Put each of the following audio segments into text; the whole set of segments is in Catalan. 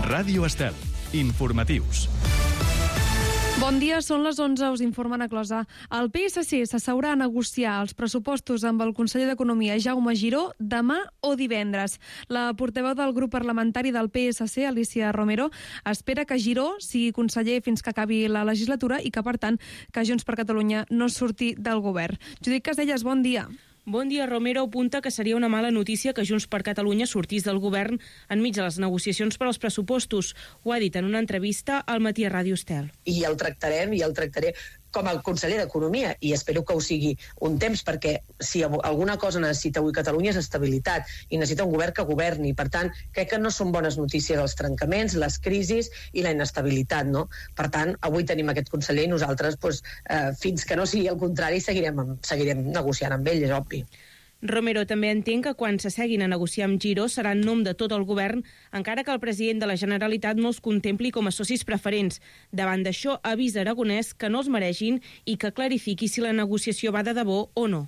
Ràdio Estel. Informatius. Bon dia, són les 11, us informa Ana Closa. El PSC s'asseurà a negociar els pressupostos amb el conseller d'Economia, Jaume Giró, demà o divendres. La portaveu del grup parlamentari del PSC, Alicia Romero, espera que Giró sigui conseller fins que acabi la legislatura i que, per tant, que Junts per Catalunya no surti del govern. Judit Casellas, bon dia. Bon dia. Romero apunta que seria una mala notícia que Junts per Catalunya sortís del govern enmig de les negociacions per als pressupostos. Ho ha dit en una entrevista al Matí a Ràdio Estel. I el tractaré com a conseller d'Economia, i espero que ho sigui un temps, perquè si alguna cosa necessita avui Catalunya és estabilitat, i necessita un govern que governi. Per tant, crec que no són bones notícies els trencaments, les crisis i la inestabilitat, no? Per tant, avui tenim aquest conseller i nosaltres, fins que no sigui el contrari, seguirem negociant amb ell, és obvi. Romero també entén que quan s'asseguin a negociar amb Giró serà en nom de tot el govern, encara que el president de la Generalitat no els contempli com a socis preferents. Davant d'això, avisa Aragonès que no els mereixin i que clarifiqui si la negociació va de debò o no.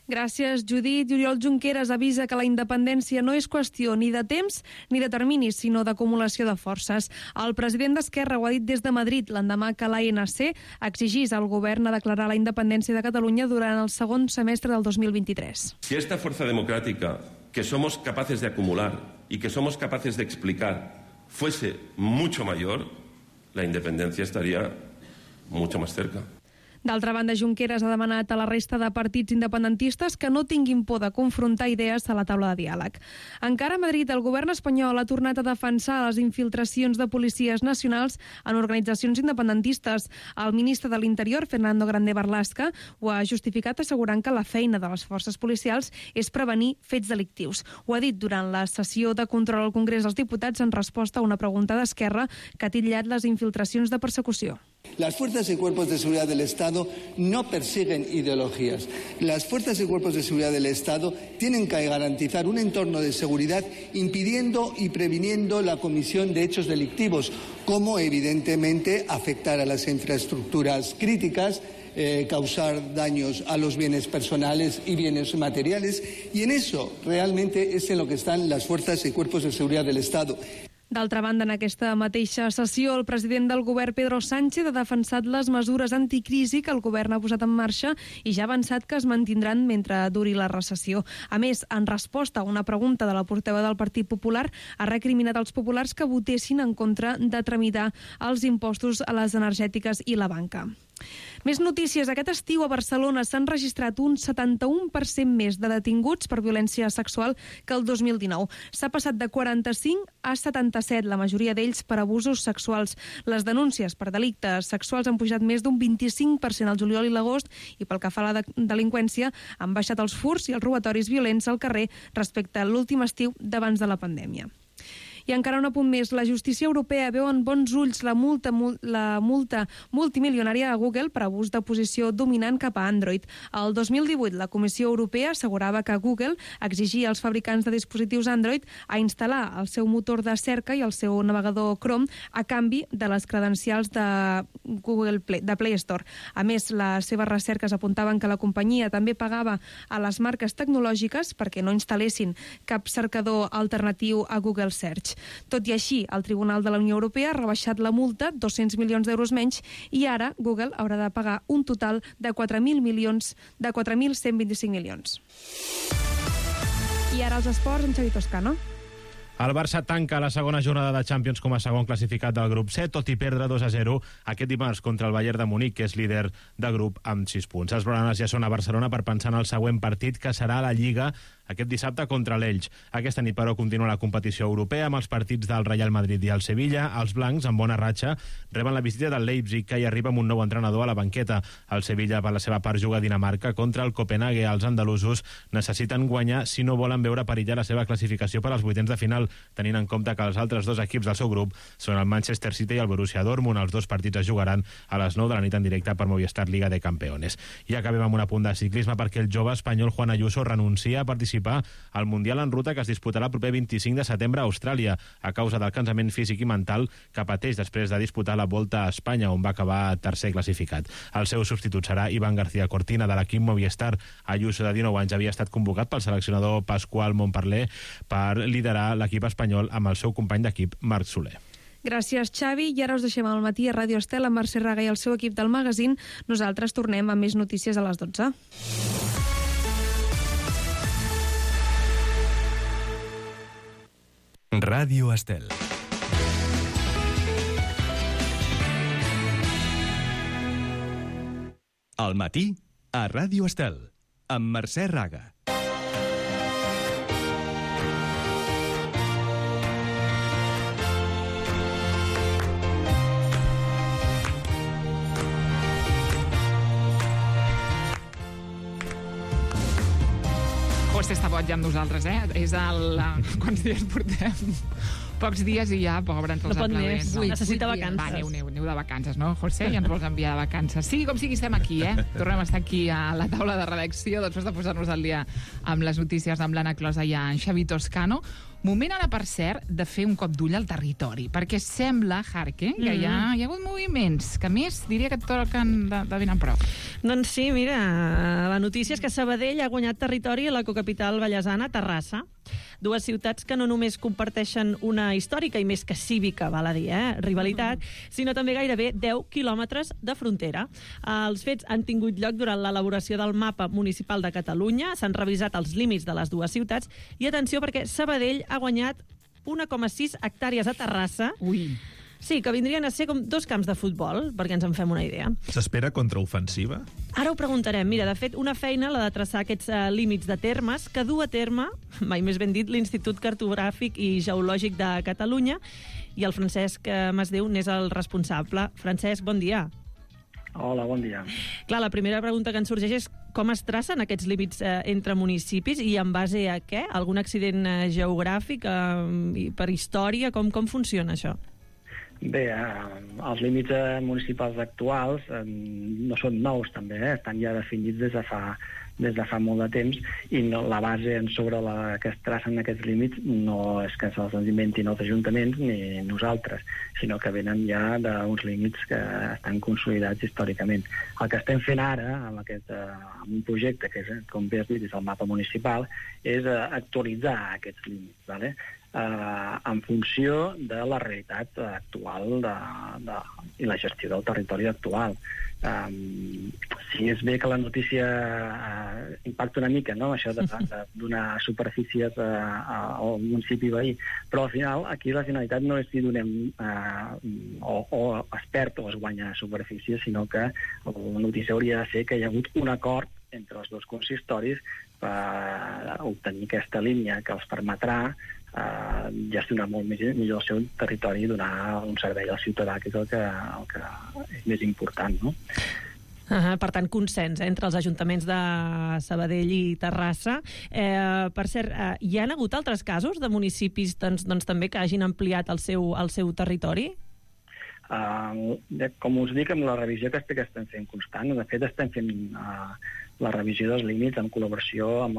Gràcies, Judit. Oriol Junqueras avisa que la independència no és qüestió ni de temps ni de terminis, sinó d'acumulació de forces. El president d'Esquerra ho ha dit des de Madrid l'endemà que l'ANC exigís al govern a declarar la independència de Catalunya durant el segon semestre del 2023. Si esta fuerza democrática que somos capaces de acumular y que somos capaces de explicar fuese mucho mayor, la independencia estaría mucho más cerca. D'altra banda, Junqueras ha demanat a la resta de partits independentistes que no tinguin por de confrontar idees a la taula de diàleg. Encara a Madrid, el govern espanyol ha tornat a defensar les infiltracions de policies nacionals en organitzacions independentistes. El ministre de l'Interior, Fernando Grande Marlaska, ho ha justificat assegurant que la feina de les forces policials és prevenir fets delictius. Ho ha dit durant la sessió de control al Congrés dels Diputats en resposta a una pregunta d'Esquerra que ha titllat les infiltracions de persecució. Las fuerzas y cuerpos de seguridad del Estado no persiguen ideologías. Las fuerzas y cuerpos de seguridad del Estado tienen que garantizar un entorno de seguridad impidiendo y previniendo la comisión de hechos delictivos, como evidentemente afectar a las infraestructuras críticas, causar daños a los bienes personales y bienes materiales, y en eso realmente es en lo que están las fuerzas y cuerpos de seguridad del Estado. D'altra banda, en aquesta mateixa sessió, el president del govern, Pedro Sánchez, ha defensat les mesures anticrisi que el govern ha posat en marxa i ja ha avançat que es mantindran mentre duri la recessió. A més, en resposta a una pregunta de la portaveu del Partit Popular, ha recriminat als populars que votessin en contra de tramitar els impostos a les energètiques i la banca. Més notícies. Aquest estiu a Barcelona s'han registrat un 71% més de detinguts per violència sexual que el 2019. S'ha passat de 45 a 77, la majoria d'ells per abusos sexuals. Les denúncies per delictes sexuals han pujat més d'un 25% al juliol i l'agost, i pel que fa a la delinqüència han baixat els furts i els robatoris violents al carrer respecte a l'últim estiu d'abans de la pandèmia. I encara un apunt més. La justícia europea veu en bons ulls la multa multimilionària a Google per abús de posició dominant cap a Android. El 2018 la Comissió Europea assegurava que Google exigia als fabricants de dispositius Android a instal·lar el seu motor de cerca i el seu navegador Chrome a canvi de les credencials de Play Store. A més, les seves recerques apuntaven que la companyia també pagava a les marques tecnològiques perquè no instal·lessin cap cercador alternatiu a Google Search. Tot i així, el Tribunal de la Unió Europea ha rebaixat la multa 200 milions d'euros menys i ara Google haurà de pagar un total de 4.125 milions. I ara els esports amb Xavi Toscano. El Barça tanca la segona jornada de Champions com a segon classificat del grup C, tot i perdre 2-0 aquest dimarts contra el Bayern de Munic, que és líder de grup amb 6 punts. Els blaugranes ja són a Barcelona per pensar en el següent partit, que serà a la Lliga aquest dissabte contra l'Elx. Aquesta nit, però, continua la competició europea amb els partits del Real Madrid i el Sevilla. Els blancs, amb bona ratxa, reben la visita del Leipzig, que hi arriba amb un nou entrenador a la banqueta. El Sevilla, per la seva part, juga a Dinamarca contra el Copenhague. Els andalusos necessiten guanyar si no volen veure perillar la seva classificació per als vuitens de final, tenint en compte que els altres dos equips del seu grup són el Manchester City i el Borussia Dortmund. Els dos partits es jugaran a les 9 de la nit en directe per Movistar Liga de Campeones. I acabem amb un apunt de ciclisme perquè el jove espanyol Juan Ayuso renuncia a participar al Mundial en ruta que es disputarà el proper 25 de setembre a Austràlia a causa del cansament físic i mental que pateix després de disputar la Volta a Espanya, on va acabar tercer classificat. El seu substitut serà Iván García Cortina, de l'equip Movistar. Ayuso, de 19 anys, havia estat convocat pel seleccionador Pasqual Montparler per liderar l'equip espanyol amb el seu company d'equip Marc Soler. Gràcies, Xavi. I ara us deixem al matí a Ràdio Estel amb Mercè Raga i el seu equip del magazín. Nosaltres tornem amb més notícies a les 12. Ràdio Estel. Al matí, a Ràdio Estel, amb Mercè Raga. José està boig amb nosaltres, És el... Quants dies portem? Pocs dies i ja, pobre, entre els aplaudents. No, necessita vacances. Va, aneu de vacances, no, José? Ja ens vols enviar de vacances. Sí, com sigui, estem aquí, Tornem a estar aquí a la taula de redacció, després de posar-nos al dia amb les notícies amb l'Anna Closa i en Xavi Toscano. Moment ara, per cert, de fer un cop d'ull al territori, perquè sembla, Jarque, que hi ha hagut moviments, que a més diria que et toquen de ben en prop. Doncs sí, mira, la notícia és que Sabadell ha guanyat territori a la cocapital vallesana, Terrassa. Dues ciutats que no només comparteixen una històrica i més que cívica, val a dir, rivalitat, sinó també gairebé 10 quilòmetres de frontera. Els fets han tingut lloc durant l'elaboració del mapa municipal de Catalunya, s'han revisat els límits de les dues ciutats i atenció perquè Sabadell ha guanyat 1,6 hectàrees a Terrassa. Ui. Sí, que vindrien a ser com 2 camps de futbol, perquè ens en fem una idea. S'espera contraofensiva? Ara ho preguntarem. Mira, de fet, una feina, la de traçar aquests límits de termes, que du a terme, mai més ben dit, l'Institut Cartogràfic i Geològic de Catalunya, i el Francesc Masdeu n'és el responsable. Francesc, bon dia. Hola, bon dia. Clar, la primera pregunta que ens sorgeix és com es tracen aquests límits entre municipis i en base a què? Algun accident geogràfic, per història? Com funciona això? Bé, els límits municipals actuals no són nous, també, estan ja definits des de fa molt de temps i la base sobre la que es tracen aquests límits no és que se'ls inventin els ajuntaments ni nosaltres, sinó que venen ja d'uns límits que estan consolidats històricament. El que estem fent ara, amb un projecte que, com bé has dit, és el mapa municipal, és actualitzar aquests límits, ¿vale? En funció de la realitat actual i la gestió del territori actual. Sí, és bé que la notícia impacta una mica, no?, això de donar superfícies al municipi veí, però al final aquí la finalitat no és si donem o es perd o es guanya superfície, sinó que la notícia hauria de ser que hi ha hagut un acord entre els dos consistoris per obtenir aquesta línia que els permetrà gestionar molt millor el seu territori i donar un servei al ciutadà, que és el que és més important, no? Per tant, consens entre els ajuntaments de Sabadell i Terrassa. Per cert, hi ha hagut altres casos de municipis doncs, també que hagin ampliat el seu territori? Com us dic, amb la revisió que estem fent constant, de fet estem fent la revisió dels límits en col·laboració amb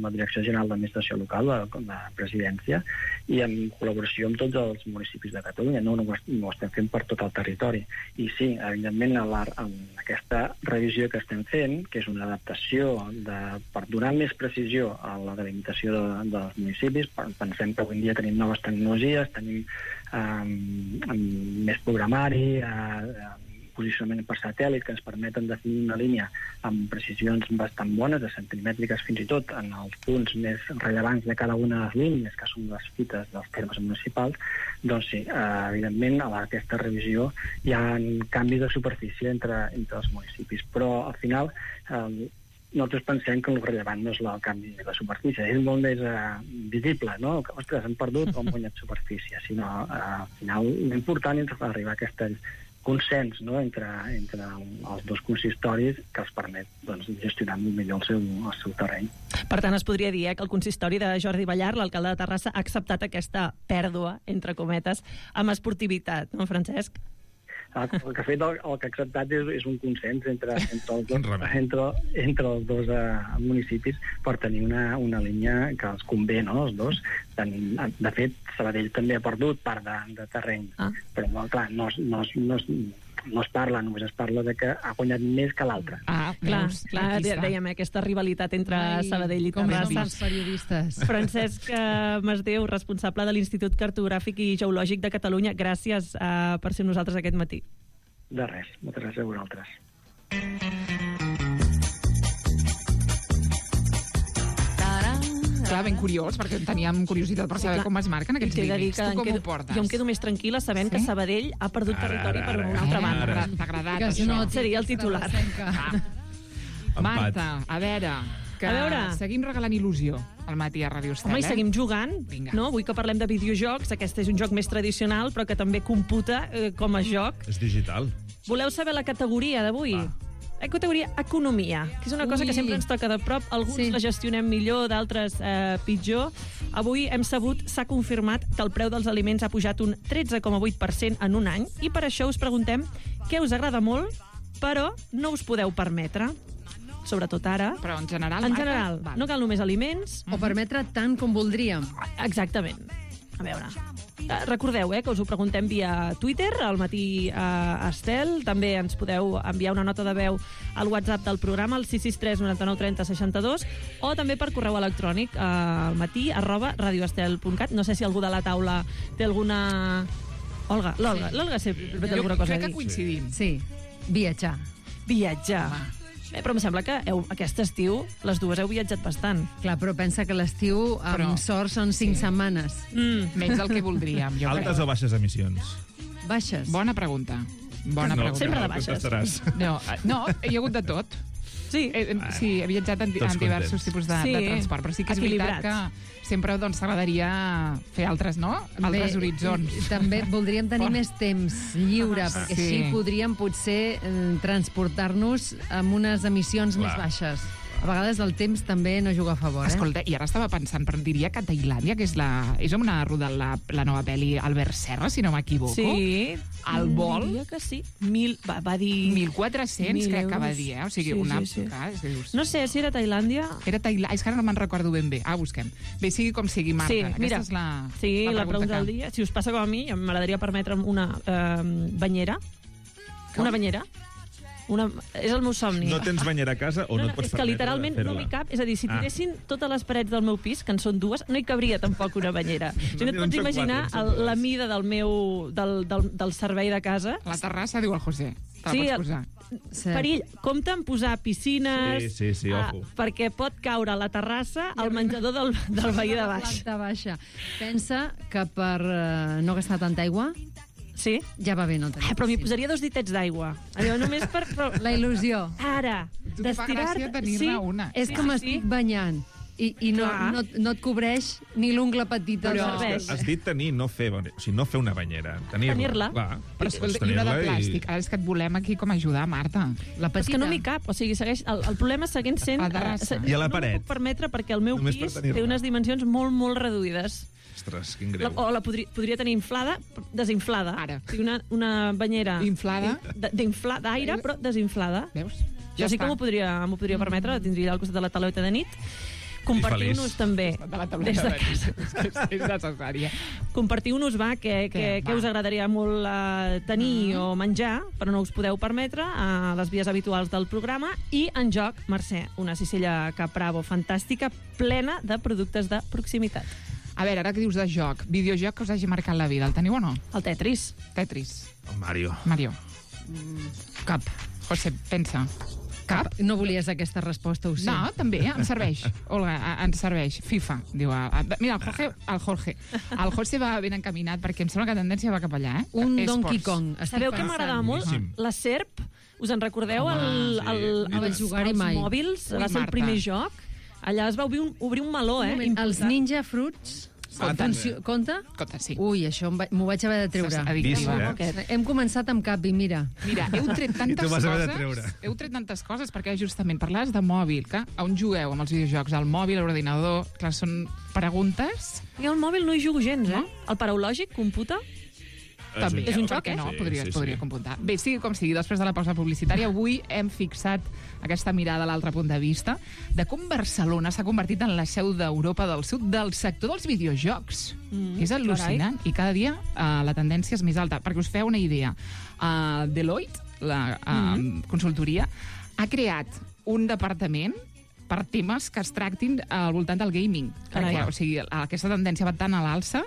la Direcció General d'Administració Local, la Presidència, i en col·laboració amb tots els municipis de Catalunya. No ho estem fent per tot el territori. I sí, evidentment, en aquesta revisió que estem fent, que és una adaptació per donar més precisió a la delimitació dels municipis, pensem que avui en dia tenim noves tecnologies, tenim més programari, posicionament per satèl·lit, que ens permeten definir una línia amb precisions bastant bones, de centimètriques fins i tot, en els punts més rellevants de cada una de les línies, que són les fites dels termes municipals. Doncs sí, evidentment, a aquesta revisió hi ha canvis de superfície entre els municipis, però al final nosaltres pensem que el rellevant no és el canvi de superfície, és molt més visible, no? Ostres, hem perdut o hem guanyat superfície, sinó al final l'important és arribar a aquest consens, no?, entre els dos consistoris que els permet gestionar millor el seu terreny. Per tant, es podria dir que el consistori de Jordi Ballar, l'alcalde de Terrassa, ha acceptat aquesta pèrdua, entre cometes, amb esportivitat, no, Francesc? El que ha fet, el que ha acceptat és un consens entre els dos municipis per tenir una línia que els convé, no?, els dos. De fet, Sabadell també ha perdut part de terreny, però clar, no es parla, només es parla de que ha guanyat més que l'altre. Clar, dèiem, aquesta rivalitat entre Sabadell i Terrassa. Com els periodistes. Francesc Masdeu, responsable de l'Institut Cartogràfic i Geològic de Catalunya, gràcies per ser amb nosaltres aquest matí. De res, moltes gràcies a vosaltres. Clar, ben curiós, perquè teníem curiositat per saber com es marquen aquests límits. Tu com ho portes? Jo em quedo més tranquil·la sabent que Sabadell ha perdut territori per una altra banda. T'ha agradat, que això? no seria el titular. Marta, a veure, seguim regalant il·lusió al matí a Ràdio Estel. Home, i seguim jugant, no? Avui que parlem de videojocs, aquest és un joc més tradicional, però que també computa com a joc. És digital. Voleu saber la categoria d'avui? La categoria Economia, que és una cosa que sempre ens toca de prop. Alguns la gestionem millor, d'altres pitjor. Avui hem sabut, s'ha confirmat que el preu dels aliments ha pujat un 13,8% en un any, i per això us preguntem què us agrada molt, però no us podeu permetre. Sobretot ara. Però en general? En general. No cal només aliments. O permetre tant com voldríem. Exactament. A veure, recordeu que us ho preguntem via Twitter, al matí a Estel. També ens podeu enviar una nota de veu al WhatsApp del programa, al 663 99 30 62, o també per correu electrònic al matí@radioestel.cat. No sé si algú de la taula té alguna... Olga, l'Olga sempre té alguna cosa a dir. Crec que coincidim. Sí, viatjar. Però em sembla que aquest estiu les dues heu viatjat bastant. Clar, però pensa que l'estiu amb sort són 5 setmanes. Menys del que voldríem. Altes o baixes emissions? Baixes. Bona pregunta. Sempre de baixes. No, hi ha hagut de tot. Sí, he viatjat en diversos tipus de transport, però sí que és veritat que sempre t'agradaria fer altres horitzons. També voldríem tenir més temps lliure, perquè així podríem potser transportar-nos amb unes emissions més baixes. A vegades el temps també no juga a favor. Escolta, i ara estava pensant, però diria que Tailàndia, que és on ha rodat la nova pel·li Albert Serra, si no m'equivoco. Sí. El vol... Diria que sí. Va dir... 1.400, crec que va dir, O sigui, una... No sé si era Tailàndia... Era Tailàndia, és que ara no me'n recordo ben bé. Busquem. Bé, sigui com sigui, Marta. Sí, mira, aquesta és la pregunta del dia. Si us passa com a mi, m'agradaria permetre'm una banyera. Una banyera. És el meu somni. No tens banyera a casa o no et pots permetre és que literalment no m'hi cap. És a dir, si tiressin totes les parets del meu pis, que en són 2, no hi cabria tampoc una banyera. No et pots imaginar la mida del servei de casa. La terrassa, diu el José. Te la pots posar. Perill, compte en posar piscines, sí, ojo. perquè pot caure a la terrassa al menjador del veí de baix. Planta baixa. Pensa que per no gastar tanta aigua... Sí? Ja va bé, no tenir. Però m'hi posaria 2 ditets d'aigua. Només per... La il·lusió. Ara, tu fa gràcia tenir-ne una. És com estic banyant. I no et cobreix ni l'ungla petita. Però has dit tenir, no fer una banyera. Tenir-la. Però escolta, i una de plàstic. Ara és que et volem aquí com ajudar, Marta. La petita. És que no m'hi cap. O sigui, el problema segueix sent... I a la paret. No m'ho puc permetre perquè el meu pis té unes dimensions molt, molt reduïdes. Ostres, quin greu. O la podria tenir inflada, desinflada. Ara. O sigui, una banyera... Inflada. D'aire, però desinflada. Veus? Ja sí que m'ho podria permetre, la tindria al costat de la tauleta de nit. Compartiu-nos també. Des de casa. És necessària. Compartiu-nos, què us agradaria molt tenir o menjar, però no us podeu permetre, a les vies habituals del programa. I en joc, Mercè, una cistella Capravo fantàstica, plena de productes de proximitat. A veure, ara que dius de joc, videojoc que us hagi marcat la vida, el teniu o no? El Tetris. El Mario. Cap. José, pensa. Cap? No volies aquesta resposta, ho sé. No, també, em serveix. Olga, ens serveix. FIFA, diu. Mira, el Jorge. El José va ben encaminat, perquè em sembla que la tendència va cap allà, Un Donkey Kong. Sabeu que m'agradava molt? La Serp. Us en recordeu? No vaig jugar-hi mai. Els mòbils. Va ser el primer joc. Allà es va obrir un meló, Els Ninja Fruits... Compta, sí. Ui, això m'ho vaig haver de treure. Hem començat amb cap i mira. Mira, heu tret tantes coses perquè justament parlaves de mòbil, que on jugueu amb els videojocs? Al mòbil, a l'ordinador? Clar, són preguntes... I al mòbil no hi jugo gens, El paraulògic computa? També, És un per joc, què no? Sí, Podria computar. Bé, sigui com sigui, després de la pausa publicitària, avui hem fixat aquesta mirada a l'altre punt de vista de com Barcelona s'ha convertit en la seu d'Europa del Sud del sector dels videojocs. És al·lucinant. I cada dia la tendència és més alta. Perquè us feu una idea, Deloitte, la consultoria, ha creat un departament per temes que es tractin al voltant del gaming. Perquè, o sigui, aquesta tendència va tan a l'alça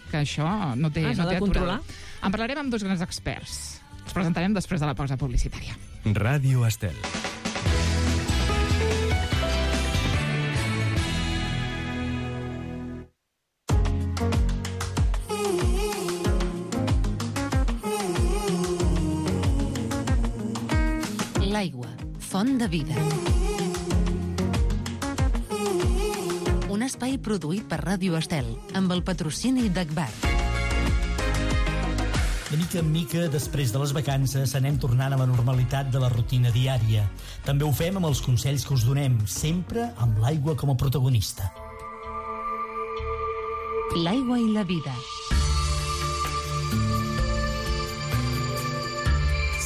que això no té aturada. En parlarem amb dos grans experts. Els presentarem després de la pausa publicitària. Ràdio Estel. L'aigua, font de vida. Un espai produït per Ràdio Estel, amb el patrocini d'Agbar. De mica en mica, després de les vacances, anem tornant a la normalitat de la rutina diària. També ho fem amb els consells que us donem, sempre amb l'aigua com a protagonista. L'aigua i la vida.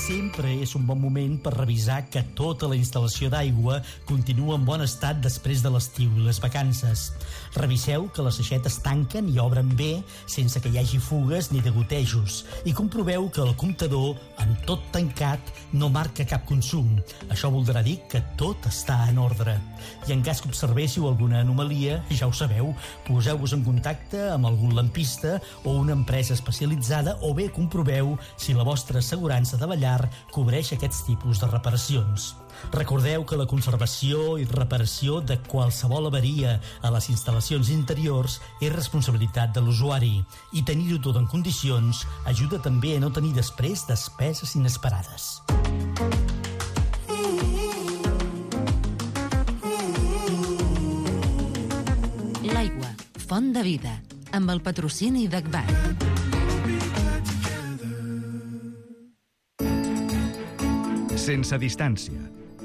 Sempre és un bon moment per revisar que tota la instal·lació d'aigua continua en bon estat després de l'estiu i les vacances. Reviseu que les aixetes tanquen i obren bé sense que hi hagi fugues ni degotejos i comproveu que el comptador, amb tot tancat, no marca cap consum. Això voldrà dir que tot està en ordre. I en cas que observéssiu alguna anomalia, ja ho sabeu, poseu-vos en contacte amb algun lampista o una empresa especialitzada o bé comproveu si la vostra assegurança de la llar cobreix aquests tipus de reparacions. Recordeu que la conservació i reparació de qualsevol avaria a les instal·lacions interiors és responsabilitat de l'usuari i tenir-ho tot en condicions ajuda també a no tenir després despeses inesperades. L'aigua, font de vida, amb el patrocini d'Agbar. Sense distància.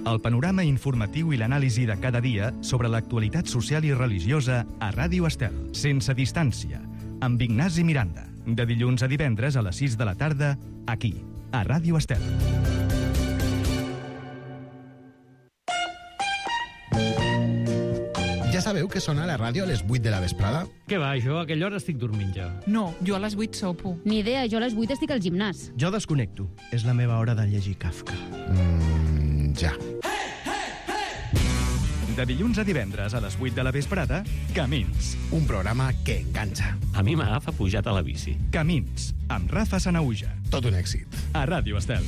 El panorama informatiu i l'anàlisi de cada dia sobre l'actualitat social i religiosa a Ràdio Estel. Sense distància. Amb Ignasi Miranda. De dilluns a divendres a les 6 de la tarda, aquí, a Ràdio Estel. Ja sabeu que sona la ràdio a les 8 de la vesprada? Què va, jo a aquella hora estic dormint ja. No, jo a les 8 sopo. Ni idea, jo a les 8 estic al gimnàs. Jo desconnecto. És la meva hora de llegir Kafka. Ja. De dilluns a divendres a les 8 de la vesprada, Camins. Un programa que enganxa. A mi m'agafa pujat a la bici. Camins, amb Rafa Sanauja. Tot un èxit. A Ràdio Estel.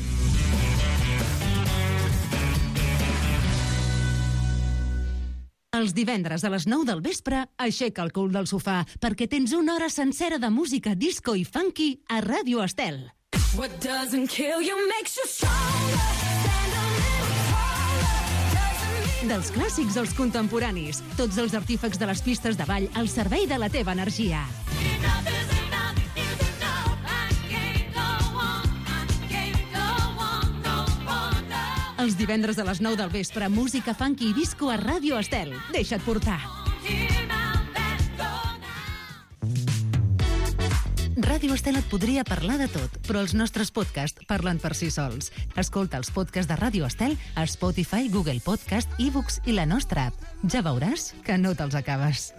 Els divendres a les 9 del vespre, aixeca el cul del sofà, perquè tens una hora sencera de música disco i funky a Ràdio Estel. What doesn't kill you makes you stronger. Stand a little taller. Dels clàssics als contemporanis, tots els artífecs de les pistes de ball al servei de la teva energia. Enough is enough is enough. I can't go on, no further. Els divendres a les 9 del vespre, música funky i disco a Ràdio Estel. Deixa't portar. Ràdio Estel et podria parlar de tot, però els nostres podcasts parlen per si sols. Escolta els podcasts de Ràdio Estel a Spotify, Google Podcast, iVoox i la nostra app. Ja veuràs que no te'ls acabes.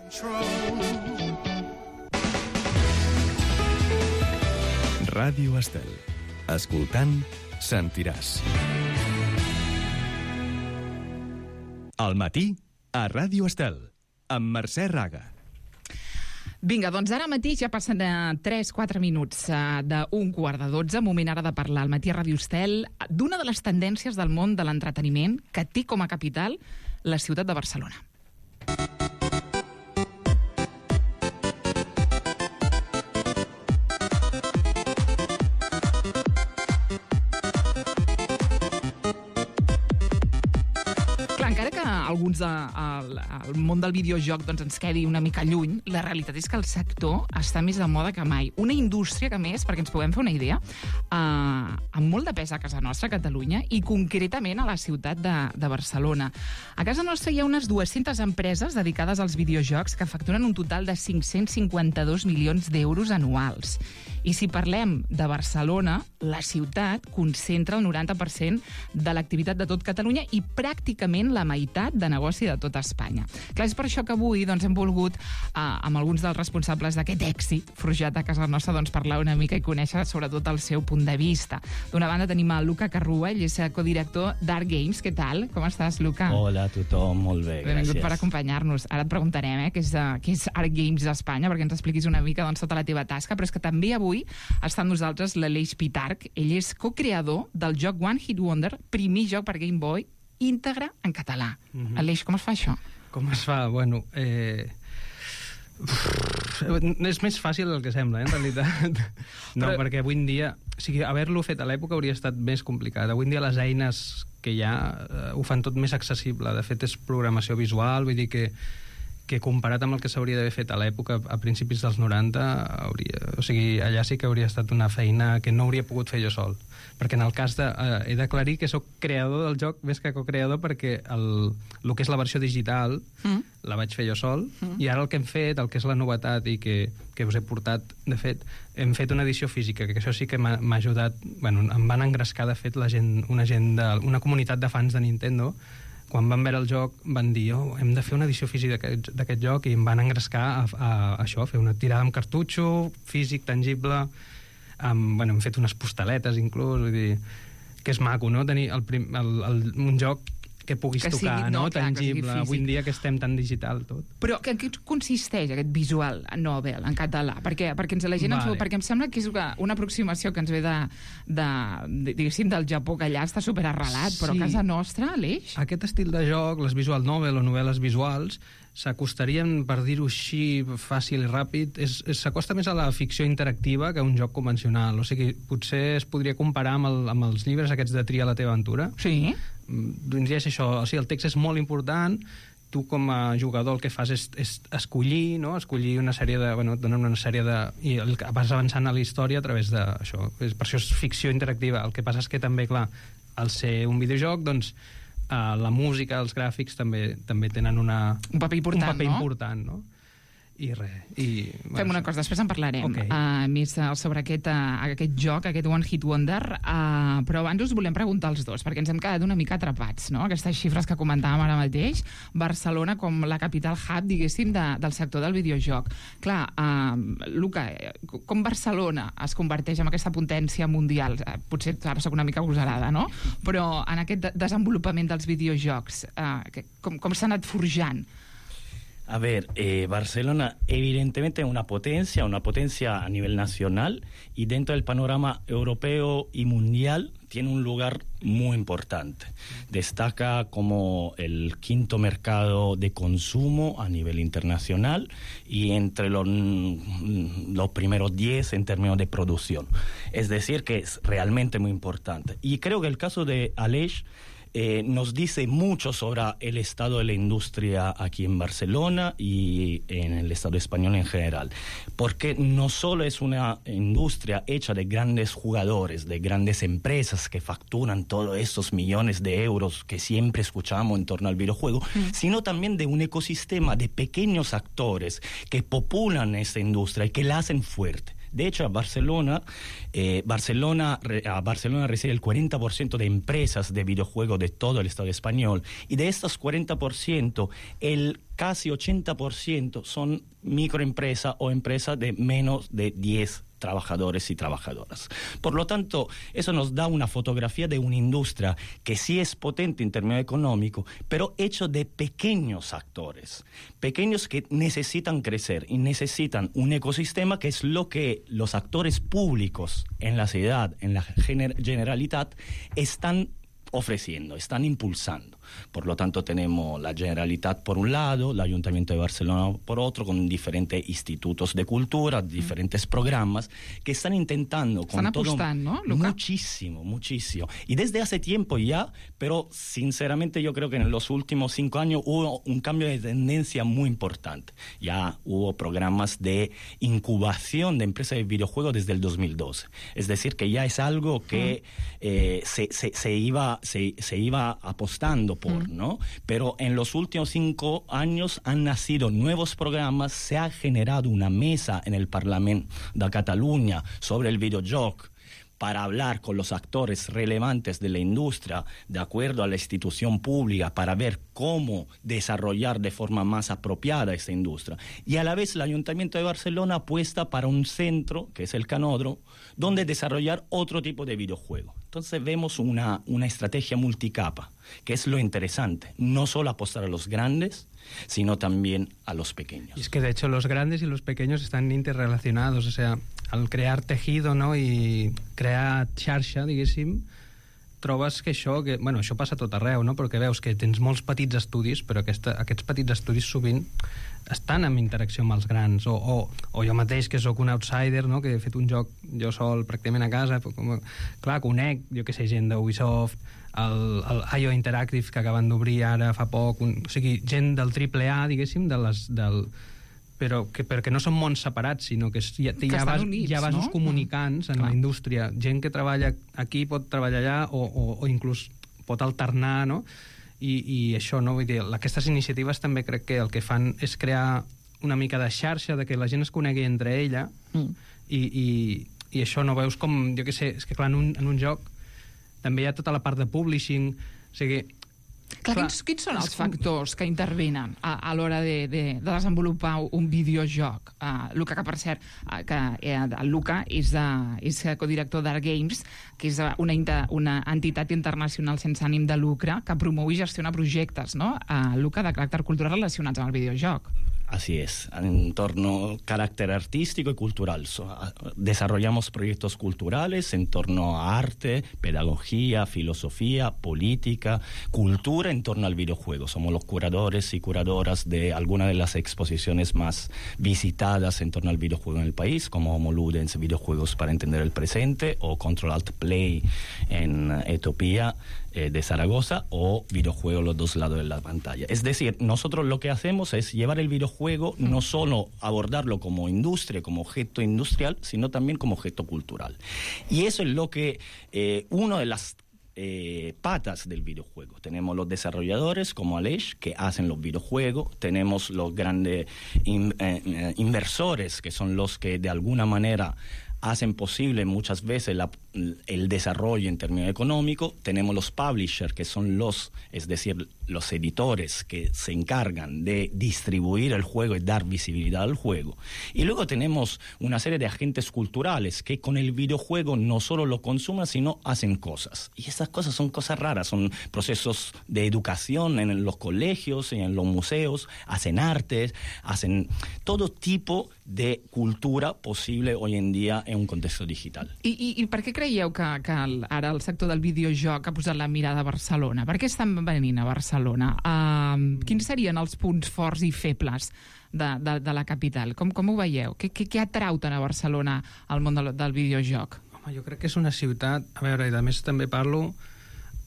Ràdio Estel. Escoltant, sentiràs. Al matí, a Ràdio Estel, amb Mercè Raga. Vinga, doncs ara mateix ja passen 3-4 minuts d'un 11:15, moment ara de parlar al matí a Ràdio Estel d'una de les tendències del món de l'entreteniment que té com a capital la ciutat de Barcelona. Encara que alguns del món del videojoc doncs, ens quedi una mica lluny, la realitat és que el sector està més de moda que mai. Una indústria que, més, perquè ens puguem fer una idea, amb molt de pes a casa nostra, a Catalunya, i concretament a la ciutat de Barcelona. A casa nostra hi ha unes 200 empreses dedicades als videojocs que facturen un total de 552 milions d'euros anuals. I si parlem de Barcelona, la ciutat concentra el 90% de l'activitat de tot Catalunya i pràcticament la meitat de negoci de tota Espanya. Clar, és per això que avui hem volgut, amb alguns dels responsables d'aquest èxit forjat a casa nostra, parlar una mica i conèixer sobretot el seu punt de vista. D'una banda tenim el Luca Carrua, ell és codirector d'Art Games. Què tal? Com estàs, Luca? Hola a tothom, molt bé, Benvingut gràcies. per acompanyar-nos. Ara et preguntarem què és Art Games d'Espanya, perquè ens expliquis una mica tota la teva tasca, però és que també avui està amb nosaltres l'Aleix Pitarch. Ell és co-creador del joc One Hit Wonder, primer joc per Game Boy, íntegre en català. Aleix, com es fa això? Com es fa? Bueno, és més fàcil del que sembla, en realitat. No, perquè avui en dia... O sigui, haver-lo fet a l'època hauria estat més complicat. Avui en dia les eines que hi ha ho fan tot més accessible. De fet, és programació visual, vull dir que comparat amb el que s'hauria d'haver fet a l'època, a principis dels 90, allà sí que hauria estat una feina que no hauria pogut fer jo sol. Perquè en el cas de... he d'aclarir que sóc creador del joc més que co-creador, perquè el que és la versió digital la vaig fer jo sol, i ara el que hem fet, el que és la novetat i que us he portat, de fet, hem fet una edició física, que això sí que m'ha ajudat... Bueno, em van engrescar, de fet, una comunitat de fans de Nintendo. Quan van veure el joc van dir hem de fer una edició física d'aquest joc, i em van engrescar a això, a fer una tirada amb cartutxo, físic, tangible. Hem fet unes postaletes inclús, vull dir que és maco, no? Tenir un joc que puguis tocar, no? Tangible, avui en dia que estem tan digital tot. Però en què consisteix aquest visual novel en català? Perquè la gent perquè em sembla que és una aproximació que ens ve diguéssim, del Japó, que allà està superarrelat, però a casa nostra, Aleix? Aquest estil de joc, les visual novel o novel·les visuals, s'acostarien, per dir-ho així, fàcil i ràpid, s'acosta més a la ficció interactiva que a un joc convencional. O sigui, potser es podria comparar amb els llibres aquests de Tria la teva aventura. Sí. Vindria a ser això. O sigui, el text és molt important, tu com a jugador el que fas és escollir, no? Escollir una sèrie de... Bueno, et donen una sèrie de... I vas avançant a la història a través d'això. Per això és ficció interactiva. El que passa és que també, clar, al ser un videojoc, doncs, la música, els gràfics també tenen un paper important, no? I res. Fem una cosa, després en parlarem més sobre aquest joc, aquest One Hit Wonder, però abans us volem preguntar als dos, perquè ens hem quedat una mica atrapats, no? Aquestes xifres que comentàvem ara mateix, Barcelona com la capital hub, diguéssim, del sector del videojoc. Clar, Luca, com Barcelona es converteix en aquesta potència mundial? Potser ara soc una mica agosarada, no? Però en aquest desenvolupament dels videojocs, com s'ha anat forjant? A ver, Barcelona evidentemente es una potencia a nivel nacional, y dentro del panorama europeo y mundial tiene un lugar muy importante. Destaca como el quinto mercado de consumo a nivel internacional y entre los primeros 10 en términos de producción. Es decir, que es realmente muy importante. Y creo que el caso de Aleix nos dice mucho sobre el estado de la industria aquí en Barcelona y en el Estado español en general, porque no solo es una industria hecha de grandes jugadores, de grandes empresas que facturan todos esos millones de euros que siempre escuchamos en torno al videojuego, sino también de un ecosistema de pequeños actores que populan esta industria y que la hacen fuerte. De hecho, a Barcelona reside el 40% de empresas de videojuegos de todo el Estado español, y de estos 40%, el casi 80% son microempresas o empresas de menos de 10 trabajadores y trabajadoras. Por lo tanto, eso nos da una fotografía de una industria que sí es potente en términos económicos, pero hecho de pequeños actores, pequeños que necesitan crecer y necesitan un ecosistema, que es lo que los actores públicos en la ciudad, en la Generalitat, están ofreciendo, están impulsando. Por lo tanto, tenemos la Generalitat por un lado, el Ayuntamiento de Barcelona por otro, con diferentes institutos de cultura, diferentes programas que están intentando con están todo apostando, ¿no, Luca? Muchísimo. Y desde hace tiempo ya, pero sinceramente yo creo que en los últimos 5 años hubo un cambio de tendencia muy importante. Ya hubo programas de incubación de empresas de videojuegos desde el 2012. Es decir, que ya es algo que se iba se iba apostando por, ¿no? Pero en los últimos 5 años han nacido nuevos programas, se ha generado una mesa en el Parlamento de Cataluña sobre el videojuego para hablar con los actores relevantes de la industria, de acuerdo a la institución pública, para ver cómo desarrollar de forma más apropiada esta industria. Y a la vez el Ayuntamiento de Barcelona apuesta para un centro, que es el Canódromo, donde desarrollar otro tipo de videojuego. Entonces vemos una estrategia multicapa, que es lo interesante. No solo apostar a los grandes, sino también a los pequeños. Y es que de hecho los grandes y los pequeños están interrelacionados, o sea, al crear tejido, no?, i crear xarxa, diguéssim, trobes que això passa a tot arreu, no?, perquè veus que tens molts petits estudis, però aquests petits estudis sovint estan en interacció amb els grans, o jo mateix, que sóc un outsider, no?, que he fet un joc jo sol pràcticament a casa, clar, conec, jo que sé, gent d'Ubisoft, el IO Interactive, que acaben d'obrir ara fa poc, o sigui, gent del AAA, diguéssim, però que no són mons separats, sinó que hi ha vasos comunicants en la indústria. Gent que treballa aquí pot treballar allà o inclús pot alternar, no? I això, no? Vull dir, aquestes iniciatives també crec que el que fan és crear una mica de xarxa, de que la gent es conegui entre ella, i això, no veus com, jo què sé, és que clar, en un joc també hi ha tota la part de publishing, o sigui... Clar, quins són els factors que intervenen a l'hora de desenvolupar un videojoc? Luca, que per cert, el Luca és codirector d'Art Games, que és una entitat internacional sense ànim de lucre que promou i gestiona projectes, no? Luca, de caràcter cultural relacionats amb el videojoc. Así es, en torno a carácter artístico y cultural. Desarrollamos proyectos culturales en torno a arte, pedagogía, filosofía, política, cultura en torno al videojuego. Somos los curadores y curadoras de algunas de las exposiciones más visitadas en torno al videojuego en el país, como Homo Ludens, videojuegos para entender el presente, o Control Alt Play en Etiopía, de Zaragoza, o videojuegos los dos lados de la pantalla. Es decir, nosotros lo que hacemos es llevar el videojuego, no solo abordarlo como industria, como objeto industrial, sino también como objeto cultural. Y eso es lo que una de las patas del videojuego. Tenemos los desarrolladores como Aleix, que hacen los videojuegos, tenemos los grandes inversores, que son los que de alguna manera hacen posible muchas veces el desarrollo en términos económicos. Tenemos los publishers, que son los editores que se encargan de distribuir el juego y dar visibilidad al juego. Y luego tenemos una serie de agentes culturales que con el videojuego no solo lo consumen, sino hacen cosas. Y esas cosas son cosas raras, son procesos de educación en los colegios y en los museos, hacen artes, hacen todo tipo de cultura posible hoy en día en un contexto digital. I per què creieu que ara el sector del videojoc ha posat la mirada a Barcelona? Per què estan venint a Barcelona? Quins serien els punts forts i febles de la capital? Com ho veieu? Què atrau tant a Barcelona al món del videojoc? Home, jo crec que és una ciutat... A veure, i a més també parlo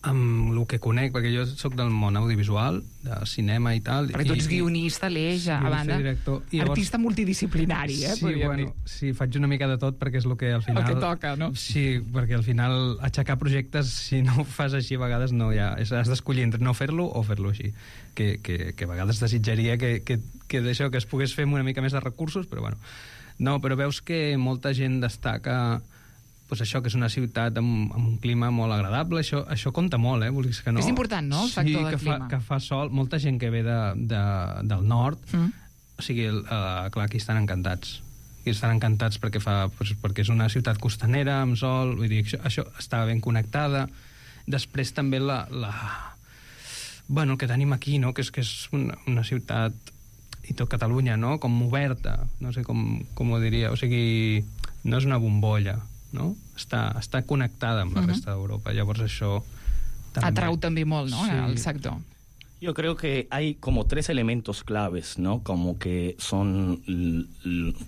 amb el que conec, perquè jo soc del món audiovisual, de cinema i tal. Perquè tu ets guionista, Aleix, a banda, artista multidisciplinari, Sí, bueno, sí, faig una mica de tot, perquè és el que al final... El que toca, no? Sí, perquè al final aixecar projectes, si no ho fas així a vegades, no hi ha... Has d'escollir entre no fer-lo o fer-lo així. Que a vegades desitjaria que d'això, que es pogués fer amb una mica més de recursos, però bueno. No, però veus que molta gent destaca... Pues això, que és una ciutat amb un clima molt agradable, això compta molt, vulguis que no. És important, no?, el factor del clima. Sí, que fa sol, molta gent que ve del nord, o sigui, clar, aquí estan encantats. Aquí estan encantats perquè és una ciutat costanera, amb sol, vull dir, això està ben connectada. Després també el que tenim aquí, no?, que és una ciutat, i tot Catalunya, no?, com oberta, no sé com ho diria, o sigui, no és una bombolla, no? Està connectada amb la resta d'Europa. Llavors això també... Atrau també molt, no?, sí, el sector. Yo creo que hay como 3 elementos claves, ¿no?, como que son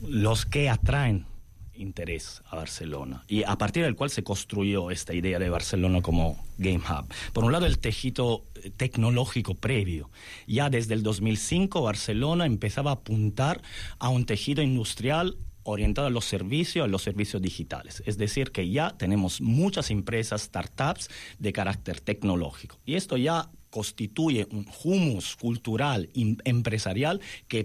los que atraen interés a Barcelona, y a partir del cual se construyó esta idea de Barcelona como Game Hub. Por un lado, el tejido tecnológico previo. Ya desde el 2005 Barcelona empezaba a apuntar a un tejido industrial orientada a los servicios digitales. Es decir, que ya tenemos muchas empresas, startups de carácter tecnológico. Y esto ya constituye un humus cultural empresarial que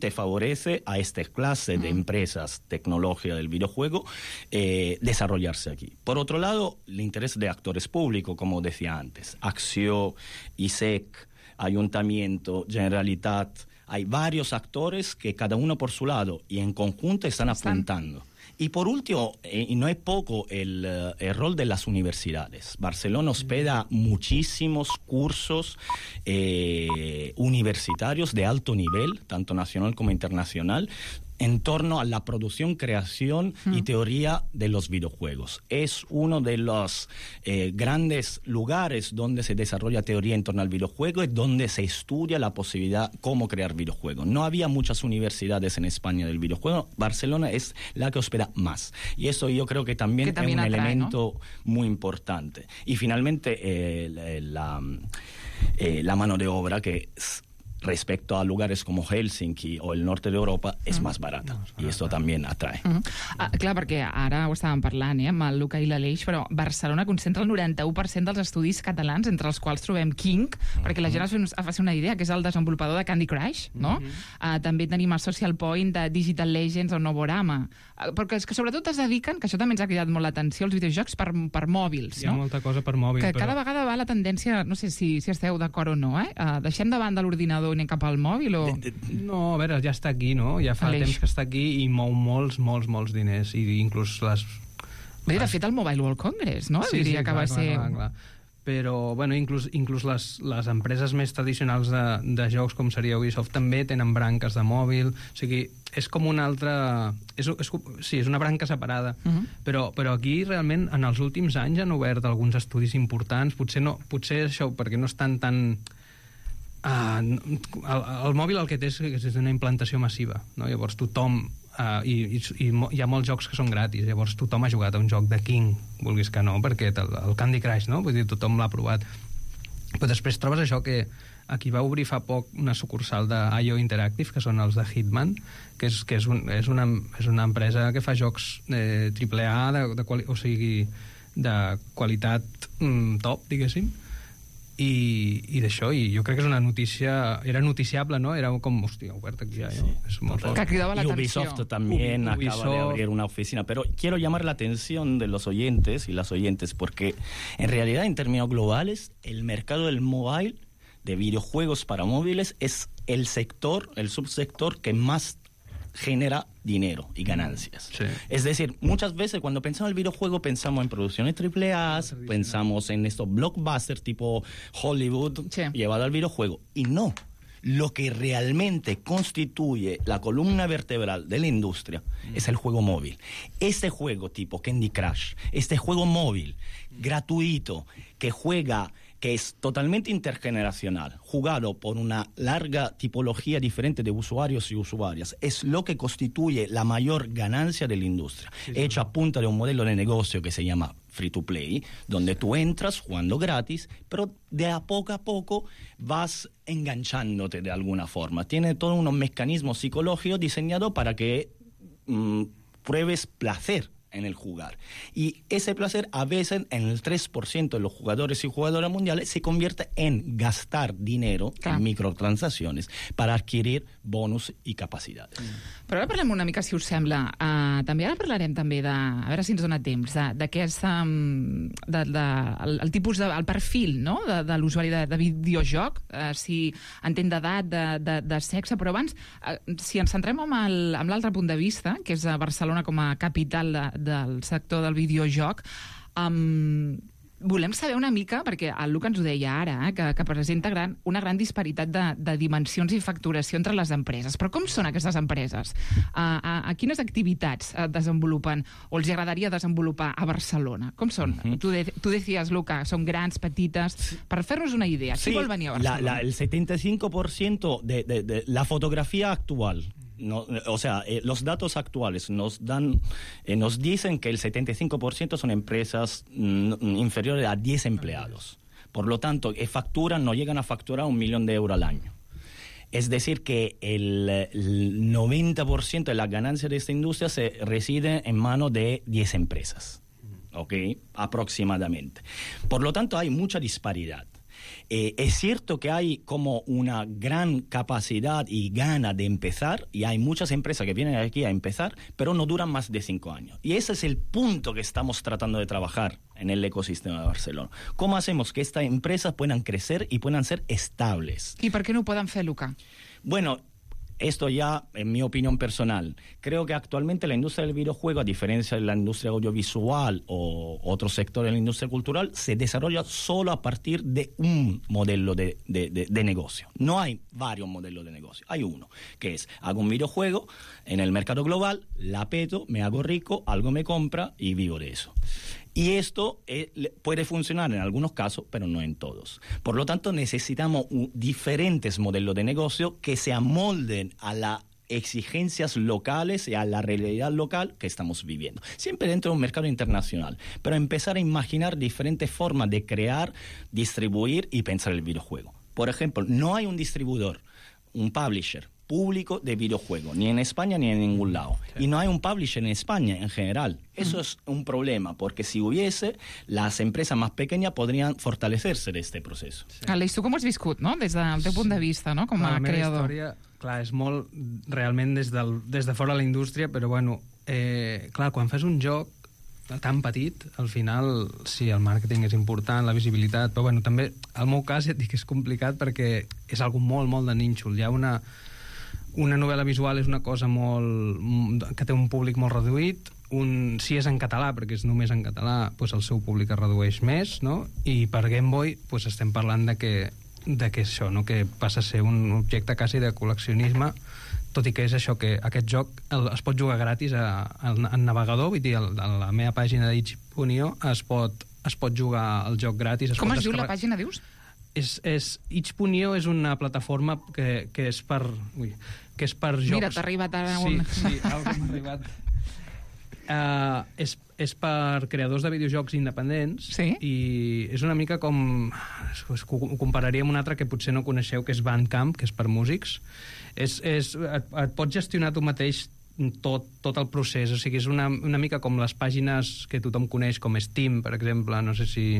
favorece a esta clase de empresas tecnológicas del videojuego desarrollarse aquí. Por otro lado, el interés de actores públicos, como decía antes, Axio, ISEC, Ayuntamiento, Generalitat. Hay varios actores que cada uno por su lado y en conjunto están apuntando. Y por último, y no es poco, el rol de las universidades. Barcelona hospeda muchísimos cursos universitarios de alto nivel, tanto nacional como internacional, en torno a la producción, creación y teoría de los videojuegos. Es uno de los grandes lugares donde se desarrolla teoría en torno al videojuego y donde se estudia la posibilidad cómo crear videojuegos. No había muchas universidades en España del videojuego. Barcelona es la que hospeda más. Y eso yo creo que también es un elemento muy importante. Y finalmente la mano de obra que respecto a lugares como Helsinki o el norte d'Europa és més barata, i això també atrae. Clar, perquè ara ho estàvem parlant amb el Luca i l'Aleix, però Barcelona concentra el 91% dels estudis catalans, entre els quals trobem King, perquè la gent es faci una idea, que és el desenvolupador de Candy Crush, no? També tenim el Social Point de Digital Legends o Novorama, perquè és que sobretot es dediquen, que això també ens ha cridat molt l'atenció, els videojocs per mòbils, no? Hi ha molta cosa per mòbil. Que cada vegada va la tendència, no sé si esteu d'acord o no, deixem davant de l'ordinador i anem cap al mòbil o... No, a veure, ja està aquí, no? Ja fa temps que està aquí i mou molts diners, i inclús les... Bé, de fet, el Mobile World Congress, no? Sí, diria que va ser... Clar. Però, bueno, inclús les empreses més tradicionals de jocs, com seria Ubisoft, també tenen branques de mòbil, o sigui, és com una altra... Sí, és una branca separada, però aquí realment en els últims anys han obert alguns estudis importants, potser això perquè no estan tan... el mòbil el que té és una implantació massiva, no? Llavors tothom i hi ha molts jocs que són gratis, llavors tothom ha jugat a un joc de King, vulguis que no, perquè el Candy Crush, no? Vull dir, tothom l'ha provat, però després trobes això que aquí va obrir fa poc una sucursal d'IO Interactive, que són els de Hitman, que és una empresa que fa jocs AAA o sigui, de qualitat top, diguéssim, i d'això, i jo crec que és una notícia, era noticiable, ¿no? Era com, hòstia, obert aquí ja, ¿no? Es muy que cridava y Ubisoft también acaba de abrir una oficina, pero quiero llamar la atención de los oyentes y las oyentes, porque en realidad en términos globales el mercado del mobile, de videojuegos para móviles, es el subsector que más genera dinero y ganancias. Sí. Es decir, muchas veces cuando pensamos en el videojuego pensamos en producciones AAA, pensamos en estos blockbusters tipo Hollywood llevado al videojuego, y no. Lo que realmente constituye la columna vertebral de la industria es el juego móvil. Este juego tipo Candy Crush, este juego móvil gratuito que es totalmente intergeneracional, jugado por una larga tipología diferente de usuarios y usuarias, es lo que constituye la mayor ganancia de la industria, hecho a punta de un modelo de negocio que se llama free to play, donde tú entras jugando gratis, pero de a poco vas enganchándote de alguna forma. Tiene todos unos mecanismos psicológicos diseñados para que pruebes placer en el jugar. Y ese placer a veces en el 3% de los jugadores y jugadoras mundiales se convierte en gastar dinero en microtransacciones para adquirir bonus i capacitats. Però ara parlem una mica, si us sembla, també ara parlarem també de, a veure si ens dona temps, d'aquest el tipus el perfil, no?, de l'usuari de videojoc, si entén d'edat, de sexe, però abans, si ens centrem amb l'altre punt de vista, que és Barcelona com a capital del sector del videojoc, volem saber una mica, perquè el Luca ens ho deia ara, que presenta una gran disparitat de dimensions i facturació entre les empreses. Però com són aquestes empreses? A quines activitats desenvolupen o els agradaria desenvolupar a Barcelona? Com són? Tu decías, Luca, són grans, petites... Per fer-nos una idea, qui vol venir a Barcelona? El 75% de la fotografía actual... No, o sea, los datos actuales nos dicen que el 75% son empresas inferiores a 10 empleados. Por lo tanto, no llegan a facturar 1 millón de euros al año. Es decir, que el 90% de las ganancias de esta industria se reside en manos de 10 empresas, ¿ok? Aproximadamente. Por lo tanto, hay mucha disparidad. Es cierto que hay como una gran capacidad y gana de empezar, y hay muchas empresas que vienen aquí a empezar, pero no duran más de 5 años. Y ese es el punto que estamos tratando de trabajar en el ecosistema de Barcelona. ¿Cómo hacemos que estas empresas puedan crecer y puedan ser estables? I per què no ho poden fer, Luca? Bueno, esto ya en mi opinión personal. Creo que actualmente la industria del videojuego, a diferencia de la industria audiovisual o otro sector de la industria cultural, se desarrolla solo a partir de un modelo de negocio. No hay varios modelos de negocio. Hay uno, que es, hago un videojuego en el mercado global, la peto, me hago rico, algo me compra y vivo de eso. Y esto puede funcionar en algunos casos, pero no en todos. Por lo tanto, necesitamos diferentes modelos de negocio que se amolden a las exigencias locales y a la realidad local que estamos viviendo. Siempre dentro de un mercado internacional. Pero empezar a imaginar diferentes formas de crear, distribuir y pensar el videojuego. Por ejemplo, no hay un distribuidor, un publisher público de videojuegos, ni en España ni en ningún lado. Sí. Y no hay un publisher en España en general. Eso es un problema, porque si hubiese, las empreses más pequeñas podrían fortalecerse de este proceso. Sí. Aleix, tu com has viscut, no? Des del teu punt de vista, no? Com a creador. La meva història, clar, és molt realment des de fora de la indústria, però bueno, clar, quan fas un joc tan petit, al final, sí, el màrqueting és important, la visibilitat, però bueno, també, al meu cas, ja et dic que és complicat perquè és algo molt, molt de nínxol. Hi ha una novel·la visual és una cosa que té un públic molt reduït, si és en català, perquè és només en català, doncs el seu públic es redueix més, no? I per Game Boy doncs estem parlant de que això, no? Que passa a ser un objecte quasi de col·leccionisme, tot i que és això, que aquest joc es pot jugar gratis en navegador, vull dir, a la meva pàgina d'itch.io es pot jugar el joc gratis. Com es diu la pàgina, dius? Itch.io és una plataforma que és per jocs. Mira, t'ha arribat ara un... Sí, algo m'ha arribat. És per creadors de videojocs independents, sí? I és una mica com... Ho compararia amb un altre que potser no coneixeu, que és Bandcamp, que és per músics. Et pots gestionar tu mateix tot el procés, o sigui, és una mica com les pàgines que tothom coneix, com Steam, per exemple, no sé si...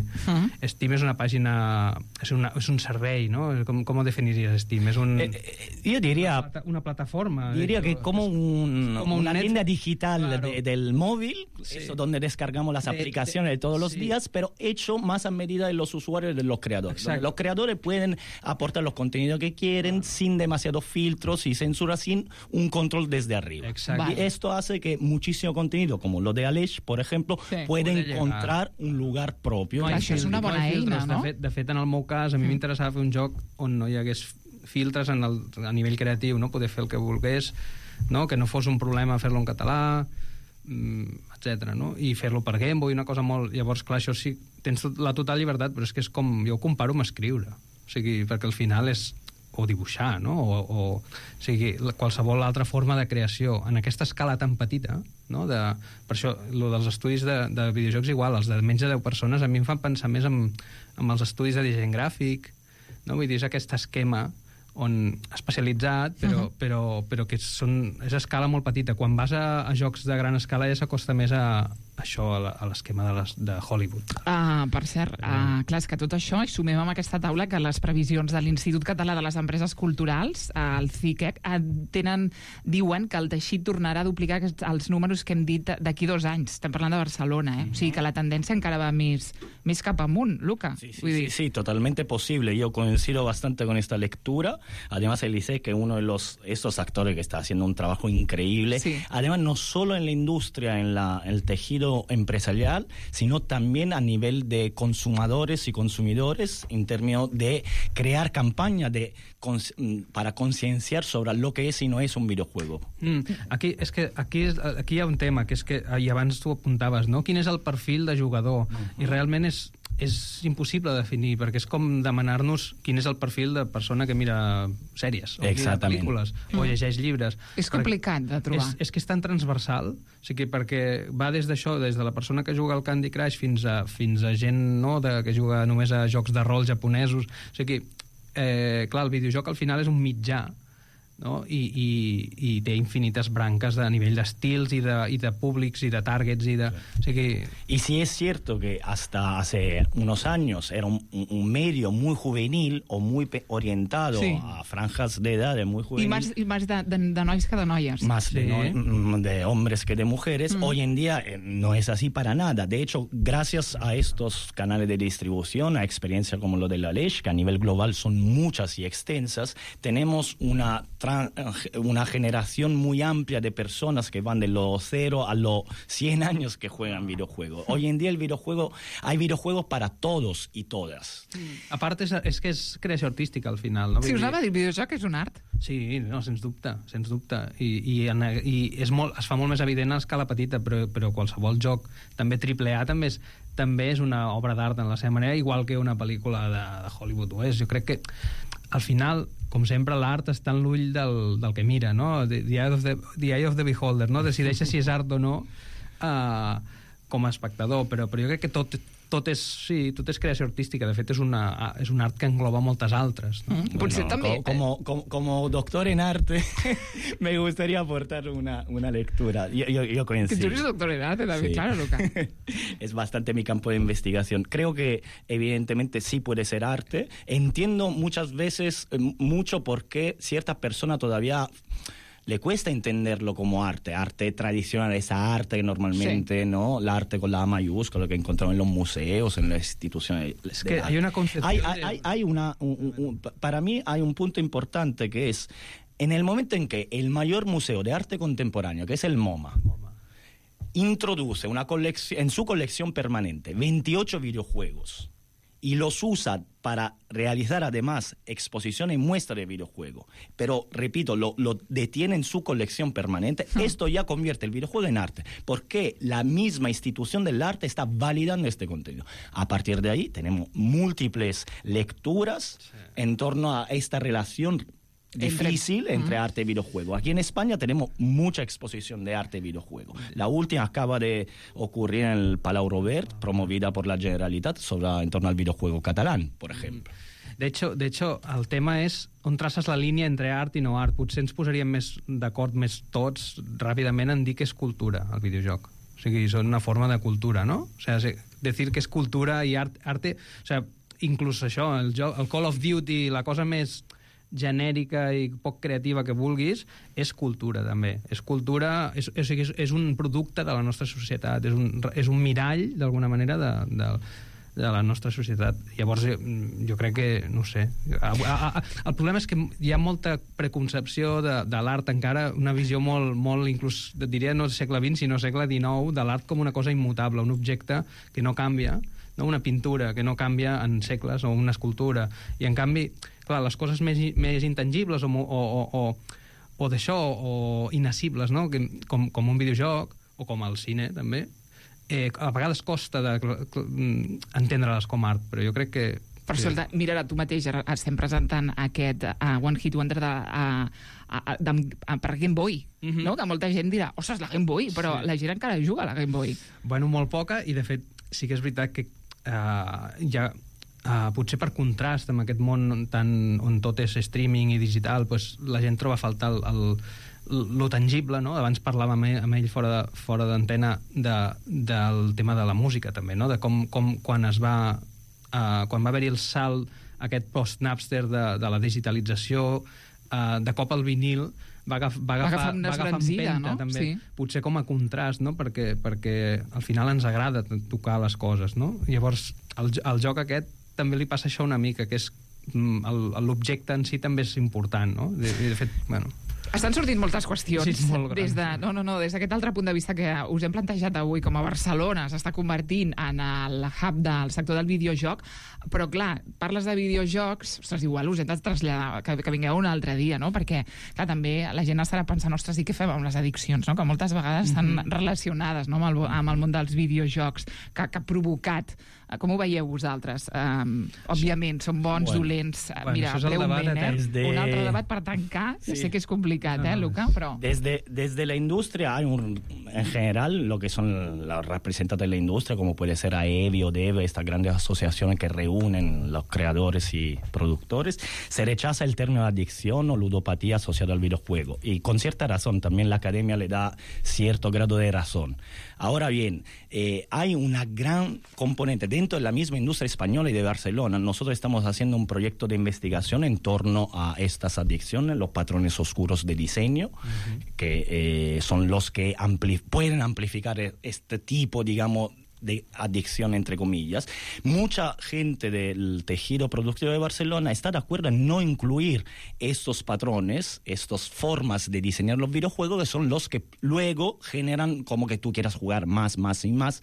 Steam és una pàgina... És un servei, ¿no? ¿Cómo definirías Steam? Es yo diría... Una plataforma. Diría que como una tienda digital, claro, del móvil, sí, eso donde descargamos las aplicaciones de todos los días, pero hecho más a medida de los usuarios y de los creadores. Los creadores pueden aportar los contenidos que quieren, sin demasiados filtros y censura, sin un control desde arriba. Exacto. Vale. Y esto hace que muchísimo contenido, como lo de Aleix, por ejemplo, puede encontrar un lugar propio. No, això és una bona eina, no? De fet, en el meu cas, a mi m'interessava fer un joc on no hi hagués filtres a nivell creatiu, no? Poder fer el que volgués, no? Que no fos un problema fer-lo en català, etc. No? I fer-lo per Game Boy, una cosa molt... Llavors, clar, això sí, tens la total llibertat, però és que és com... Jo ho comparo amb escriure. O sigui, perquè al final és... o dibuixar, no? O sigui, qualsevol altra forma de creació en aquesta escala tan petita, no? Per això, lo dels estudis de videojocs igual, els de menys de 10 persones, a mi em fan pensar més en els estudis de disseny gràfic, no? Vull dir, és aquest esquema especialitzat, però que és a escala molt petita. Quan vas a jocs de gran escala ja s'acosta més a això, a l'esquema de Hollywood. Per cert, clar, és que tot això, i sumem amb aquesta taula que les previsions de l'Institut Català de les Empreses Culturals, el CICEC, diuen que el teixit tornarà a duplicar els números que hem dit d'aquí 2 anys. Estem parlant de Barcelona, O sigui que la tendència encara va més cap amunt, Luca. Sí, totalmente posible. Yo coincido bastante con esta lectura. Además, el ICEC, que es uno de estos actores que está haciendo un trabajo increíble. Sí. Además, no solo en la industria, en el tejido empresarial, sino también a nivel de consumidores y consumidores, en términos de crear campañas para concienciar sobre lo que es y no es un videojuego. Aquí hi ha un tema, que és que, i abans tu apuntaves, no? Quin és el perfil de jugador? I realment és impossible de definir, perquè és com demanar-nos quin és el perfil de persona que mira sèries, o mira pel·lícules, o llegeix llibres. És complicat de trobar. És que és tan transversal, o sigui, perquè va des d'això, des de la persona que juga al Candy Crush fins a gent, no?, que juga només a jocs de rol japonesos. O sigui, clar, el videojoc al final és un mitjà, no? I té infinites branques a nivell d'estils i de públics i de targets o sigui... Y sí es cierto que hasta hace unos años era un medio muy juvenil o muy orientado a franjas de edad muy juvenil. Y más de nois que de noies. Más de hombres que de mujeres. Hoy en día no es así para nada. De hecho, gracias a estos canales de distribución, a experiencias como lo de la Lech, que a nivel global son muchas y extensas, tenemos una generación muy amplia de personas que van de los 0 a los 100 años que juegan videojuegos. Hoy en día hay videojuegos para todos y todas. A part, és que és creació artística, al final. No? Si us anava a dir, el videojoc és un art. Sí, no, sens dubte, sens dubte. I es fa molt més evident a escala petita, però qualsevol joc, també AAA, també és una obra d'art en la seva manera, igual que una pel·lícula de Hollywood ho és. Jo crec que, al final, com sempre, l'art està en l'ull del que mira, no? The eye of the beholder, no? Decideix si és art o no com a espectador, però jo crec que tot és creació artística. De fet, és un art que engloba moltes altres. No? Potser també... Como doctor en arte, me gustaría aportar una lectura. Yo coincido. Que tú eres doctor en arte, David, sí. Claro, Luca. Es bastante mi campo de investigación. Creo que, evidentemente, sí puede ser arte. Entiendo muchas veces mucho por qué ciertas personas todavía le cuesta entenderlo como arte tradicional, esa arte que normalmente, ¿no? La arte con la A mayúscula que encontramos en los museos, en las instituciones. Es que hay una concepción. Para mí hay un punto importante que es, en el momento en que el mayor museo de arte contemporáneo, que es el MoMA, introduce en su colección permanente 28 videojuegos y los usa para realizar además exposiciones y muestras de videojuegos, pero repito, lo detiene en su colección permanente, esto ya convierte el videojuego en arte, porque la misma institución del arte está validando este contenido. A partir de ahí tenemos múltiples lecturas en torno a esta relación difícil entre arte y videojuego. Aquí en España tenemos mucha exposición de arte y videojuego. La última acaba de ocurrir en el Palau Robert, promovida por la Generalitat, en torno al videojuego catalán, por ejemplo. De hecho, el tema és on traces la línia entre art i no art. Potser ens posaríem d'acord més tots ràpidament en dir que és cultura, el videojoc. O sigui, són una forma de cultura, ¿no? O sea, decir que és cultura i arte... O sea, inclús això, el Call of Duty, la cosa més genèrica i poc creativa que vulguis, és cultura, també. És cultura, és un producte de la nostra societat, és un mirall, d'alguna manera, de la nostra societat. Llavors, jo crec que, no sé... El problema és que hi ha molta preconcepció de l'art encara, una visió molt inclús, diria no segle XX, sinó segle XIX, de l'art com una cosa immutable, un objecte que no canvia, no? Una pintura que no canvia en segles, o una escultura. I, en canvi, clar, les coses més intangibles o d'això, o inassibles, no? Com un videojoc, o com el cine, també, a vegades costa entendre-les com art, però jo crec que... Per cert, mira, tu mateix estem presentant aquest One Hit Wonder per Game Boy, no? Que molta gent dirà, ostres, la Game Boy, però la gent encara juga a la Game Boy. Bueno, molt poca, i de fet sí que és veritat que ja... potser per contrast amb aquest món on tot és streaming i digital, la gent troba a faltar lo tangible, no? Abans parlàvem amb ell fora d'antena del tema de la música, també, no? De com quan va haver-hi el salt aquest post-Napster de la digitalització, de cop el vinil va agafar empenta, no? També, sí. Potser com a contrast, no? Perquè al final ens agrada tocar les coses, no? Llavors, el joc aquest també li passa això una mica, que és l'objecte en si també és important, no? De fet, bueno... Estan sortint moltes qüestions des d'aquest altre punt de vista que us hem plantejat avui, com a Barcelona s'està convertint en el hub del sector del videojoc, però clar, parles de videojocs, ostres, igual us hem de traslladar, que vingueu un altre dia, no? Perquè, clar, també la gent estarà pensant, ostres, i què fem amb les addiccions, no? Que moltes vegades estan relacionades, no? amb el món dels videojocs, que ha provocat. Com ho veieu vosaltres? Òbviament, són bons, dolents. Mira, breument, un altre debat per tancar. Sí. Sé que és complicat, Luca, però... Desde la industria hay en general, lo que son los representantes de la industria, como puede ser AEBI o DEVE, estas grandes asociaciones que reúnen los creadores y productores, se rechaza el término adicción o ludopatía asociado al videojuego. Y con cierta razón, también la academia le da cierto grado de razón. Ahora bien, hay una gran componente dentro de la misma industria española y de Barcelona. Nosotros estamos haciendo un proyecto de investigación en torno a estas adicciones, los patrones oscuros de diseño, que son los que pueden amplificar este tipo, digamos, de adicción, entre comillas. Mucha gente del tejido productivo de Barcelona está de acuerdo en no incluir estos patrones, estas formas de diseñar los videojuegos, que son los que luego generan como que tú quieras jugar más y más,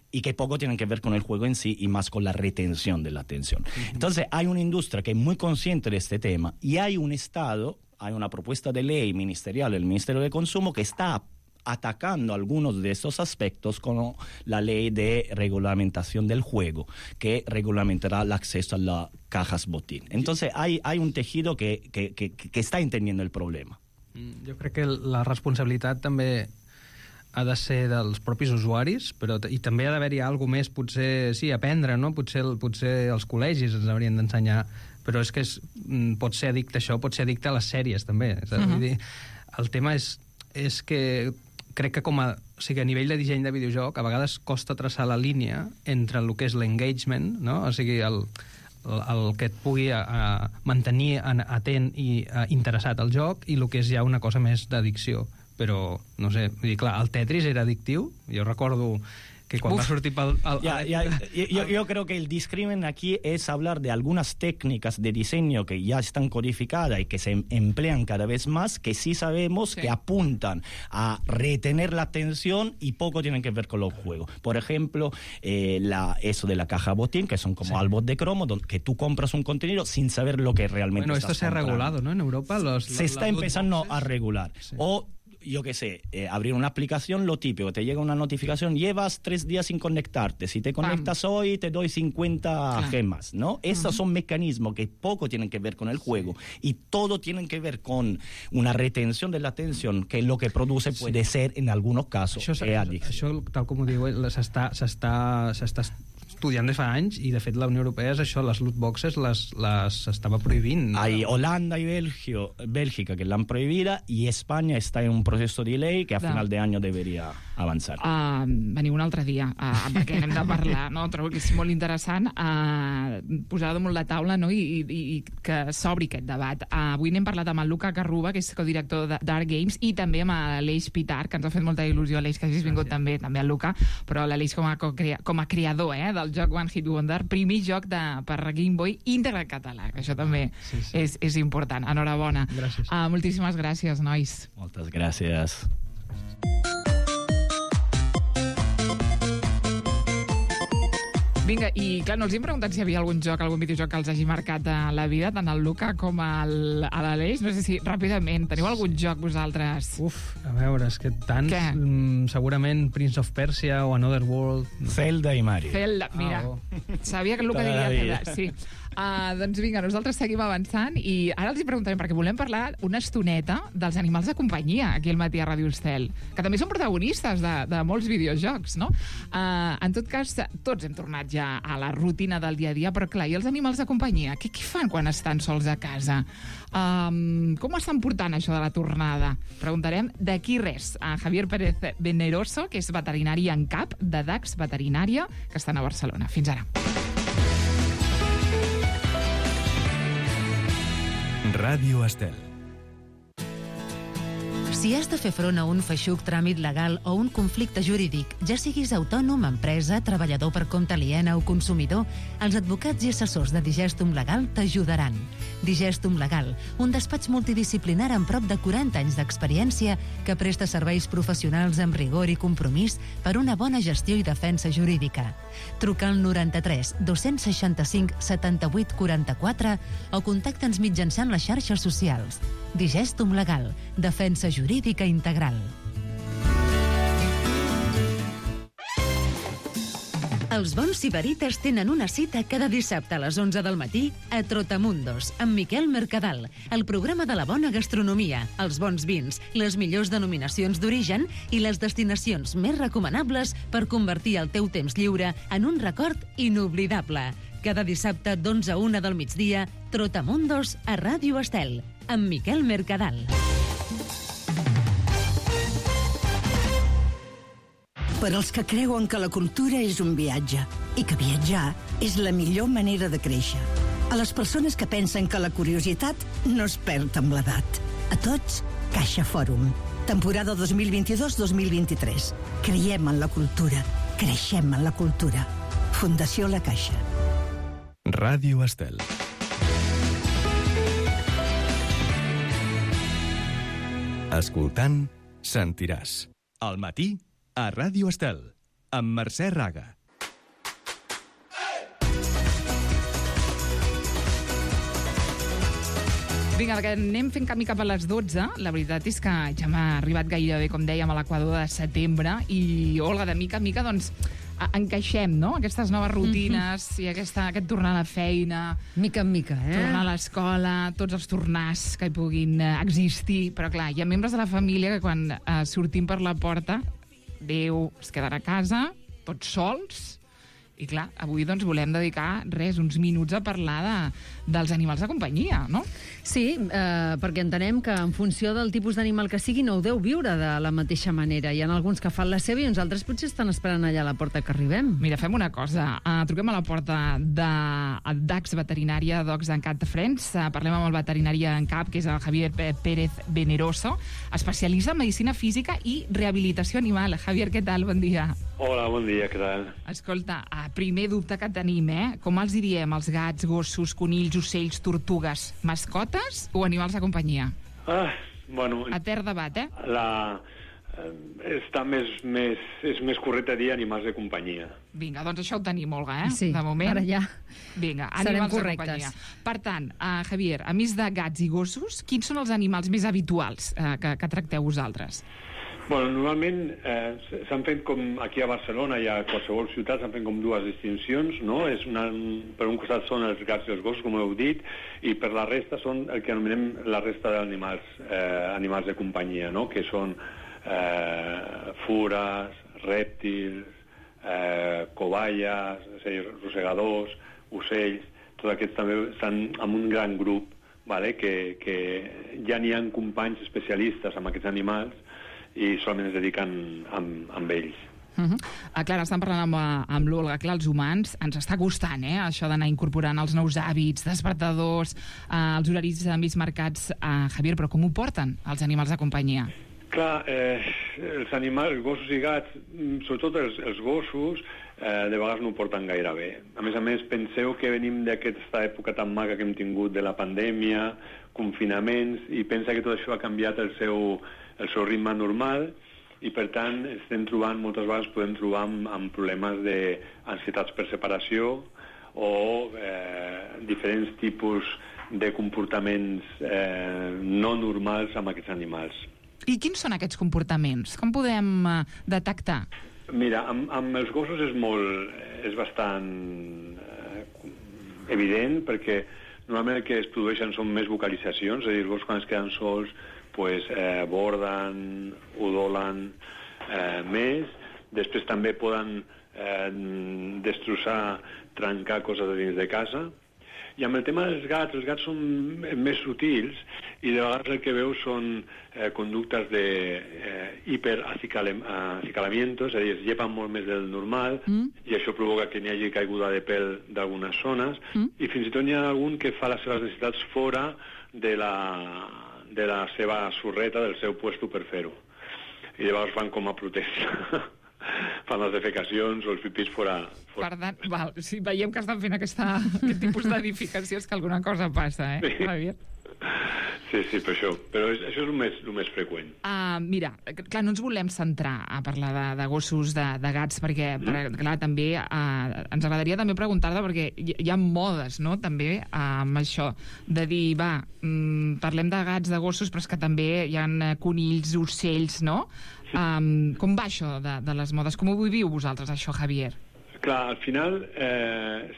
y que poco tienen que ver con el juego en sí y más con la retención de la atención. Entonces hay una industria que es muy consciente de este tema y hay un Estado, hay una propuesta de ley ministerial, el Ministerio de Consumo, que está atacando algunos de estos aspectos con la ley de regulamentación del juego, que regulamentará el acceso a las cajas botín. Entonces hay un tejido que està entendiendo el problema. Jo crec que la responsabilitat també ha de ser dels propis usuaris, però i també ha d'haver-hi alguna més, potser, sí, aprendre, no? Potser els col·legis ens haurien d'ensenyar, però és que pot ser addicte això, pot ser addicte a les sèries, també. Vull dir, el tema és que crec que a nivell de disseny de videojoc a vegades costa traçar la línia entre el que és l'engagement, no? O sigui, el que et pugui mantenir atent i interessat al joc i el que és ja una cosa més d'addicció. Però, no sé, vull dir, clar, el Tetris era addictiu, jo recordo que cuando va a sortir yo creo que el discrimen aquí es hablar de algunas técnicas de diseño que ya están codificadas y que se emplean cada vez más, que sí sabemos que apuntan a retener la atención y poco tienen que ver con los juegos. Por ejemplo, eso de la caja botín, que son como álbumes de cromo, que tú compras un contenido sin saber lo que realmente estás comprando. Bueno, esto se ha regulado, ¿no? En Europa se está empezando a regular. Sí. O yo qué sé, abrir una aplicación, lo típico, te llega una notificación, llevas 3 días sin conectarte, si te conectas hoy te doy 50 gemas, ¿no? Esos son mecanismos que poco tienen que ver con el juego y todo tienen que ver con una retención de la atención, que lo que produce puede ser, en algunos casos, adicció. Això, tal com ho diu, s'està estudiant des fa anys i, de fet, la Unió Europea és això, les loot boxes les estava prohibint. Hay Holanda y Bélgica que la han prohibida y España está en un proceso de ley que a final de año debería avançar. Veniu un altre dia, perquè hem de parlar, no? Trobo que és molt interessant posar damunt la taula, no? I que s'obri aquest debat. Avui n'hem parlat amb el Luca Carruba, que és codirector de Dark Games, i també amb l'Aleix Pitar, que ens ha fet molta il·lusió, Aleix, que hagis vingut també el Luca, però l'Aleix com a creador del joc One Hit Wonder, primer joc per Game Boy íntegre en català, que això també és important. Enhorabona. Gràcies. Moltíssimes gràcies, nois. Moltes gràcies. Vinga, i clar, no els hem preguntat si hi havia algun videojoc que els hagi marcat a la vida, tant el Luca com a l'Aleix. No sé si, ràpidament, teniu algun joc vosaltres? A veure, és que tants... Segurament Prince of Persia o Another World... Zelda i Mario. Zelda, mira. Sabia que el Luca diria Zelda, sí. Doncs vinga, nosaltres seguim avançant i ara els hi preguntarem, perquè volem parlar una estoneta dels animals de companyia aquí al matí a Ràdio Estel, que també són protagonistes de molts videojocs, no? En tot cas, tots hem tornat ja a la rutina del dia a dia, però clar, i els animals de companyia? Què fan quan estan sols a casa? Com estan portant això de la tornada? Preguntarem d'aquí res a Javier Pérez Veneroso, que és veterinari en cap de Dax Veterinària, que estan a Barcelona. Fins ara. Ràdio Estel. Si has de fer front a un feixuc tràmit legal o un conflicte jurídic, ja siguis autònom, empresa, treballador per compte aliena o consumidor, els advocats i assessors de Digestum Legal t'ajudaran. Digestum Legal, un despatx multidisciplinar amb prop de 40 anys d'experiència que presta serveis professionals amb rigor i compromís per una bona gestió i defensa jurídica. Truca al 93 265 78 44 o contacta'ns mitjançant les xarxes socials. Digestum Legal, defensa jurídica integral. Els bons sibarites tenen una cita cada dissabte a les 11 del matí a Trotamundos, amb Miquel Mercadal, el programa de la bona gastronomia, els bons vins, les millors denominacions d'origen i les destinacions més recomanables per convertir el teu temps lliure en un record inoblidable. Cada dissabte d'11 a 1 del migdia, Trotamundos a Ràdio Estel, amb Miquel Mercadal. Per als que creuen que la cultura és un viatge i que viatjar és la millor manera de créixer. A les persones que pensen que la curiositat no es perd amb l'edat. A tots, Caixa Fòrum. Temporada 2022-2023. Creiem en la cultura. Creixem en la cultura. Fundació La Caixa. Ràdio Estel. Escoltant, sentiràs. Al matí, a Ràdio Estel, amb Mercè Raga. Vinga, perquè anem fent camí cap a les 12. La veritat és que ja m'ha arribat gairebé, com dèiem, a l'equador de setembre i, Olga, de mica en mica, doncs, encaixem, no?, aquestes noves rutines i aquest tornar a la feina. Mica en mica, Tornar a l'escola, tots els tornars que hi puguin existir. Però, clar, hi ha membres de la família que quan sortim per la porta, Déu, es queden a casa, tots sols. I clar, avui doncs volem dedicar uns minuts a parlar dels animals de companyia, no? Sí, perquè entenem que en funció del tipus d'animal que sigui no ho deu viure de la mateixa manera. Hi ha alguns que fan la seva i uns altres potser estan esperant allà a la porta que arribem. Mira, fem una cosa. Truquem a la porta de DAX Veterinària, Dogs and Cat Friends. Parlem amb el veterinari en cap, que és el Javier Pérez Veneroso, especialista en medicina física i rehabilitació animal. Javier, què tal? Bon dia. Hola, bon dia, què tal? Escolta, primer dubte que tenim, com els diríem els gats, gossos, conills, ocells, tortugues? Mascotes o animals de companyia? Bueno... Etern debat, és més correcte dir animals de companyia. Vinga, doncs això ho tenim, Olga, Sí, de moment. ara ja Vinga, serem animals de correctes. companyia. Per tant, Javier, a més de gats i gossos, quins són els animals més habituals que tracteu vosaltres? Bueno, normalment s'han fet com aquí a Barcelona i a qualsevol ciutat s'han fet com dues distincions, no? Per un costat són els gats i els gossos, com heu dit, i per la resta són el que anomenem la resta d'animals, animals de companyia, no? Que són fures, rèptils, cobayes, és a dir, rosegadors, ocells, tots aquests també estan en un gran grup, vale? Que ja n'hi ha companys especialistes amb aquests animals i solament es dediquen amb ells. Clar, estan parlant amb l'Olga. Clar, els humans ens està costant, això d'anar incorporant els nous hàbits, despertadors, els horaris més marcats. Javier, però com ho porten els animals de companyia? Clar, els animals, gossos i gats, sobretot els gossos, de vegades no ho porten gaire bé. A més, penseu que venim d'aquesta època tan maca que hem tingut de la pandèmia, confinaments, i pensa que tot això ha canviat el seu ritme normal i, per tant, moltes vegades podem trobar amb problemes d'ansietats per separació o diferents tipus de comportaments no normals amb aquests animals. I quins són aquests comportaments? Com podem detectar? Mira, amb els gossos és bastant evident, perquè normalment el que es produeixen són més vocalitzacions, és a dir, els gossos quan es queden sols borden, udolen més. Després també poden destrossar, trencar coses de dins de casa. I amb el tema dels gats, els gats són més sutils i de vegades el que veus són conductes d'hiperacicalamiento, és a dir, es llepen molt més del normal i això provoca que n'hi hagi caiguda de pèl d'algunes zones i fins i tot n'hi ha algun que fa les seves necessitats fora de la seva sorreta, del seu puesto per fer-ho. I llavors fan com a protesta. Fan les defecacions o els pipís fora. Per tant, si veiem que estan fent aquest tipus d'edificacions, que alguna cosa passa, Javier? Sí, per això. Però això és el més freqüent. Mira, clar, no ens volem centrar a parlar de gossos, de gats, perquè, clar, també ens agradaria també preguntar-te, perquè hi ha modes, no?, també amb això, de dir, parlem de gats, de gossos, però és que també hi ha conills, ocells, no? Com va això de les modes? Com ho viviu vosaltres, això, Javier? Clar, al final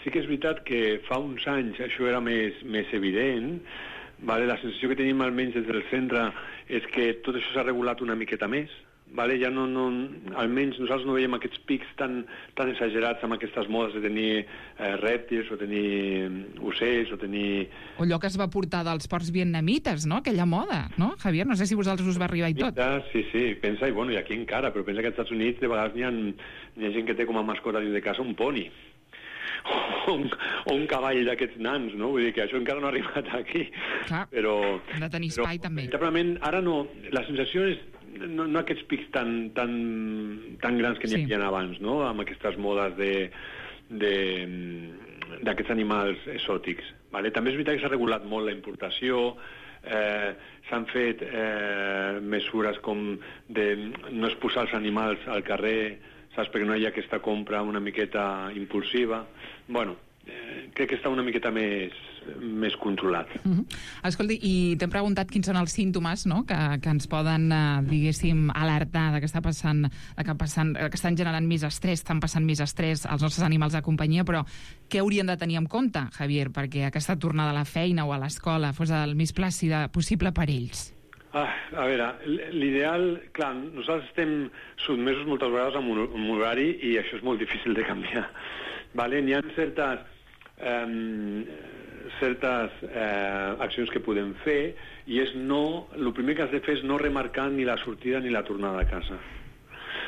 sí que és veritat que fa uns anys això era més evident, vale? La sensació que tenim almenys des del centre és que tot això s'ha regulat una miqueta més, vale? Ja no, almenys nosaltres no veiem aquests pics tan exagerats amb aquestes modes de tenir rèptils o tenir ocells o tenir... O allò que es va portar dels porcs vietnamites, no? Aquella moda, no, Javier? No sé si vosaltres us va arribar i tot. Sí, pensa, i bueno, i aquí encara, però pensa que als Estats Units de vegades hi ha gent que té com a mascota dins de casa un poni. O un cavall d'aquests nans, no? Vull dir que això encara no ha arribat aquí. Clar, però, hem de tenir espai també. Veritablement, ara no, la sensació és no aquests pics tan grans que n'hi havia abans, no? Amb aquestes modes d'aquests animals exòtics. Vale? També és veritat que s'ha regulat molt la importació, s'han fet mesures com de no exposar els animals al carrer, saps, perquè no hi ha aquesta compra una miqueta impulsiva. Bueno, crec que està una miqueta més controlat. Escolti, i t'hem preguntat quins són els símptomes, no?, que ens poden, diguéssim, alertar que estan generant més estrès, estan passant més estrès als nostres animals de companyia, però què haurien de tenir en compte, Javier, perquè aquesta tornada a la feina o a l'escola fos el més plàcida possible per ells? A veure, l'ideal... Clar, nosaltres estem sotmesos moltes vegades amb un horari i això és molt difícil de canviar. Vale? N'hi ha certes accions que podem fer i el primer que has de fer és no remarcar ni la sortida ni la tornada a casa.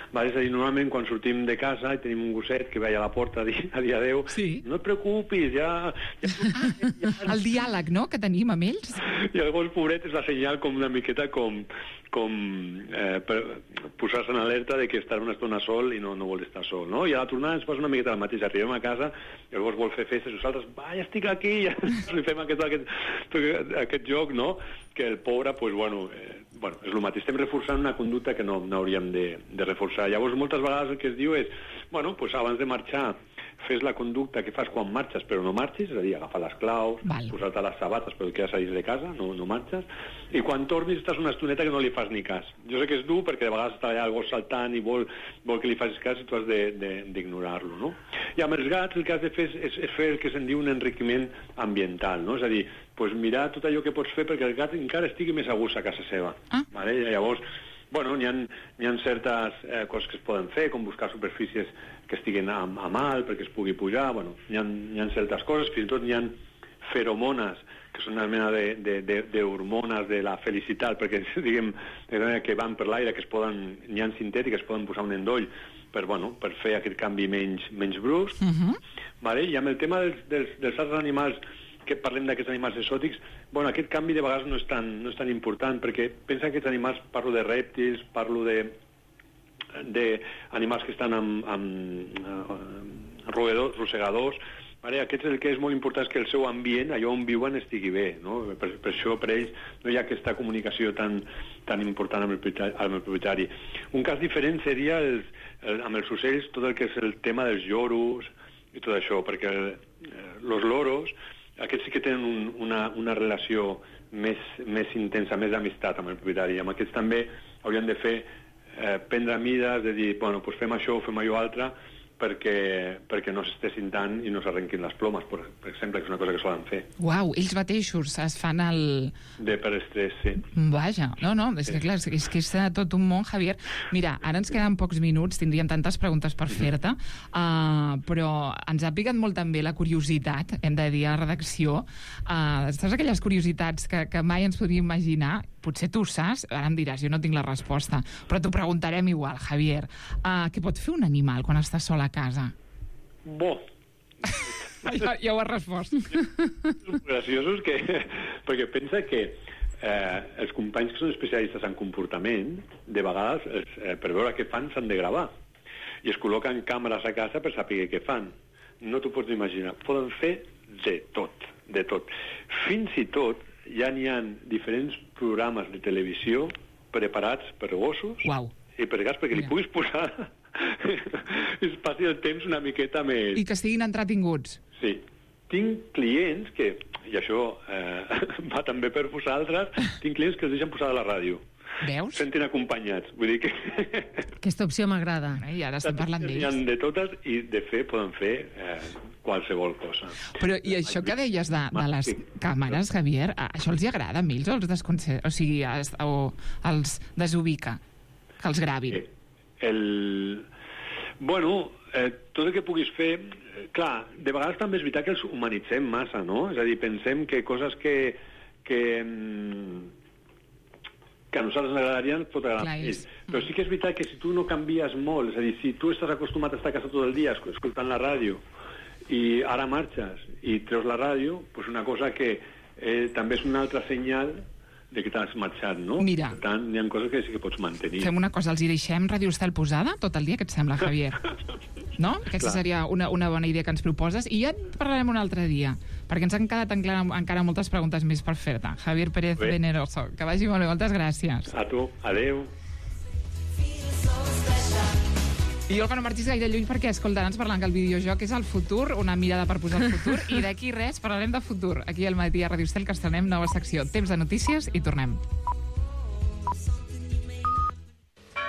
Vale? És a dir, normalment quan sortim de casa i tenim un gosset que veia a la porta a dir adéu, no et preocupis, ja... El diàleg, no?, que tenim amb ells. I el gos pobret és la senyal com una miqueta com per posar-se en alerta de que estarà una estona sol i no vol estar sol, no? I a la tornada ens passa una miqueta el mateix. Arribem a casa, el gos vol fer festes, nosaltres, ja estic aquí, ja li fem aquest joc, no? Que el pobre, doncs, bueno, és el mateix. Estem reforçant una conducta que no hauríem de reforçar. Llavors, moltes vegades el que es diu és, bueno, doncs abans de marxar, fes la conducta que fas quan marxes, però no marxis, és a dir, agafar les claus, posar-te les sabates, però et quedes a dins de casa, no marxes, i quan tornis estàs una estoneta que no li fas ni cas. Jo sé que és dur, perquè de vegades està allà el gos saltant i vol que li facis cas i tu has d'ignorar-lo, no? I amb els gats el que has de fer és fer el que se'n diu un enriquiment ambiental, no? És a dir, mirar tot allò que pots fer perquè el gat encara estigui més a gust a casa seva. Vale? Llavors, bueno, n'hi ha certes coses que es poden fer, com buscar superfícies que estiguin a mal perquè es pugui pujar. Bueno, n'hi ha certes coses, fins i tot n'hi ha feromones, que són una mena d'hormones de la felicitat, perquè diguem que van per l'aire, que n'hi ha sintètiques, es poden posar un endoll per fer aquest canvi menys brusc. Vale? I amb el tema dels altres animals, que parlem d'aquests animals exòtics, aquest canvi de vegades no és tan important, perquè pensa que aquests animals, parlo de rèptils, parlo d'animals que estan amb rosegadors, aquests el que és molt important és que el seu ambient, allò on viuen, estigui bé, no? Per això per ells no hi ha aquesta comunicació tan important amb el propietari. Un cas diferent seria amb els ocells tot el que és el tema dels lloros i tot això, perquè els loros, aquests sí que tenen una relació més intensa, més d'amistat amb el propietari. Amb aquests també haurien de prendre mides, de dir, bueno, doncs fem això o fem allò altre, perquè no s'estessin tant i no s'arrenquin les plomes, per exemple, que és una cosa que solen fer. Uau, ells mateixos es fan el... Per estrès, sí. Vaja, no, és que clar, és que és tot un món, Javier. Mira, ara ens queden pocs minuts, tindríem tantes preguntes per fer-te, però ens ha picat molt també la curiositat, hem de dir, a la redacció. Saps aquelles curiositats que mai ens podríem imaginar? Potser tu ho saps, ara em diràs, jo no tinc la resposta, però t'ho preguntarem igual, Javier. Què pot fer un animal quan està sol a casa? Bo. Ja ho has respost. Graciosos perquè pensa que els companys que són especialistes en comportament, de vegades, per veure què fan, s'han de gravar. I es col·loquen càmeres a casa per saber què fan. No t'ho pots imaginar. Poden fer de tot, de tot. Fins i tot ja n'hi ha diferents programes de televisió preparats per gossos i per gats, perquè li puguis posar es passi el temps una miqueta més... I que estiguin entretinguts. Sí. Tinc clients que, i això va també per vosaltres, tinc clients que els deixen posar a la ràdio. sentin acompanyats. Vull dir que... Aquesta opció m'agrada. I ara estem parlant N'hi ha d'ells. de totes i, de fet, poden fer qualsevol cosa. Però, i això que deies de les càmeres, Javier, això els hi agrada a ells o els desconcerta? O sigui, o els desubica? Que els gravin? Bueno, tot el que puguis fer... Clar, de vegades també és veritat que els humanitzem massa, no? És a dir, pensem que coses que a nosaltres ens agradarien pot agradar a ells. Però sí que és veritat que si tu no canvies molt, és a dir, si tu estàs acostumat a estar a casa tot el dia escoltant la ràdio i ara marxes i treus la ràdio, doncs una cosa que també és un altre senyal de que t'has marxat, no? Mira. Per tant, hi ha coses que sí que pots mantenir. Fem una cosa, els hi deixem Ràdio Estel posada tot el dia, què et sembla, Javier? No? Aquesta seria una bona idea que ens proposes i ja en parlarem un altre dia, perquè ens han quedat encara moltes preguntes més per fer-te. Javier Pérez Veneroso, que vagi molt bé, moltes gràcies. A tu, adeu. I Olga, no marxis gaire lluny perquè, escolta, ens parlant que el videojoc és el futur, una mirada per posar el futur, i d'aquí res parlarem de futur. Aquí al matí a Ràdio Estel, que estrenem nova secció. Temps de notícies i tornem.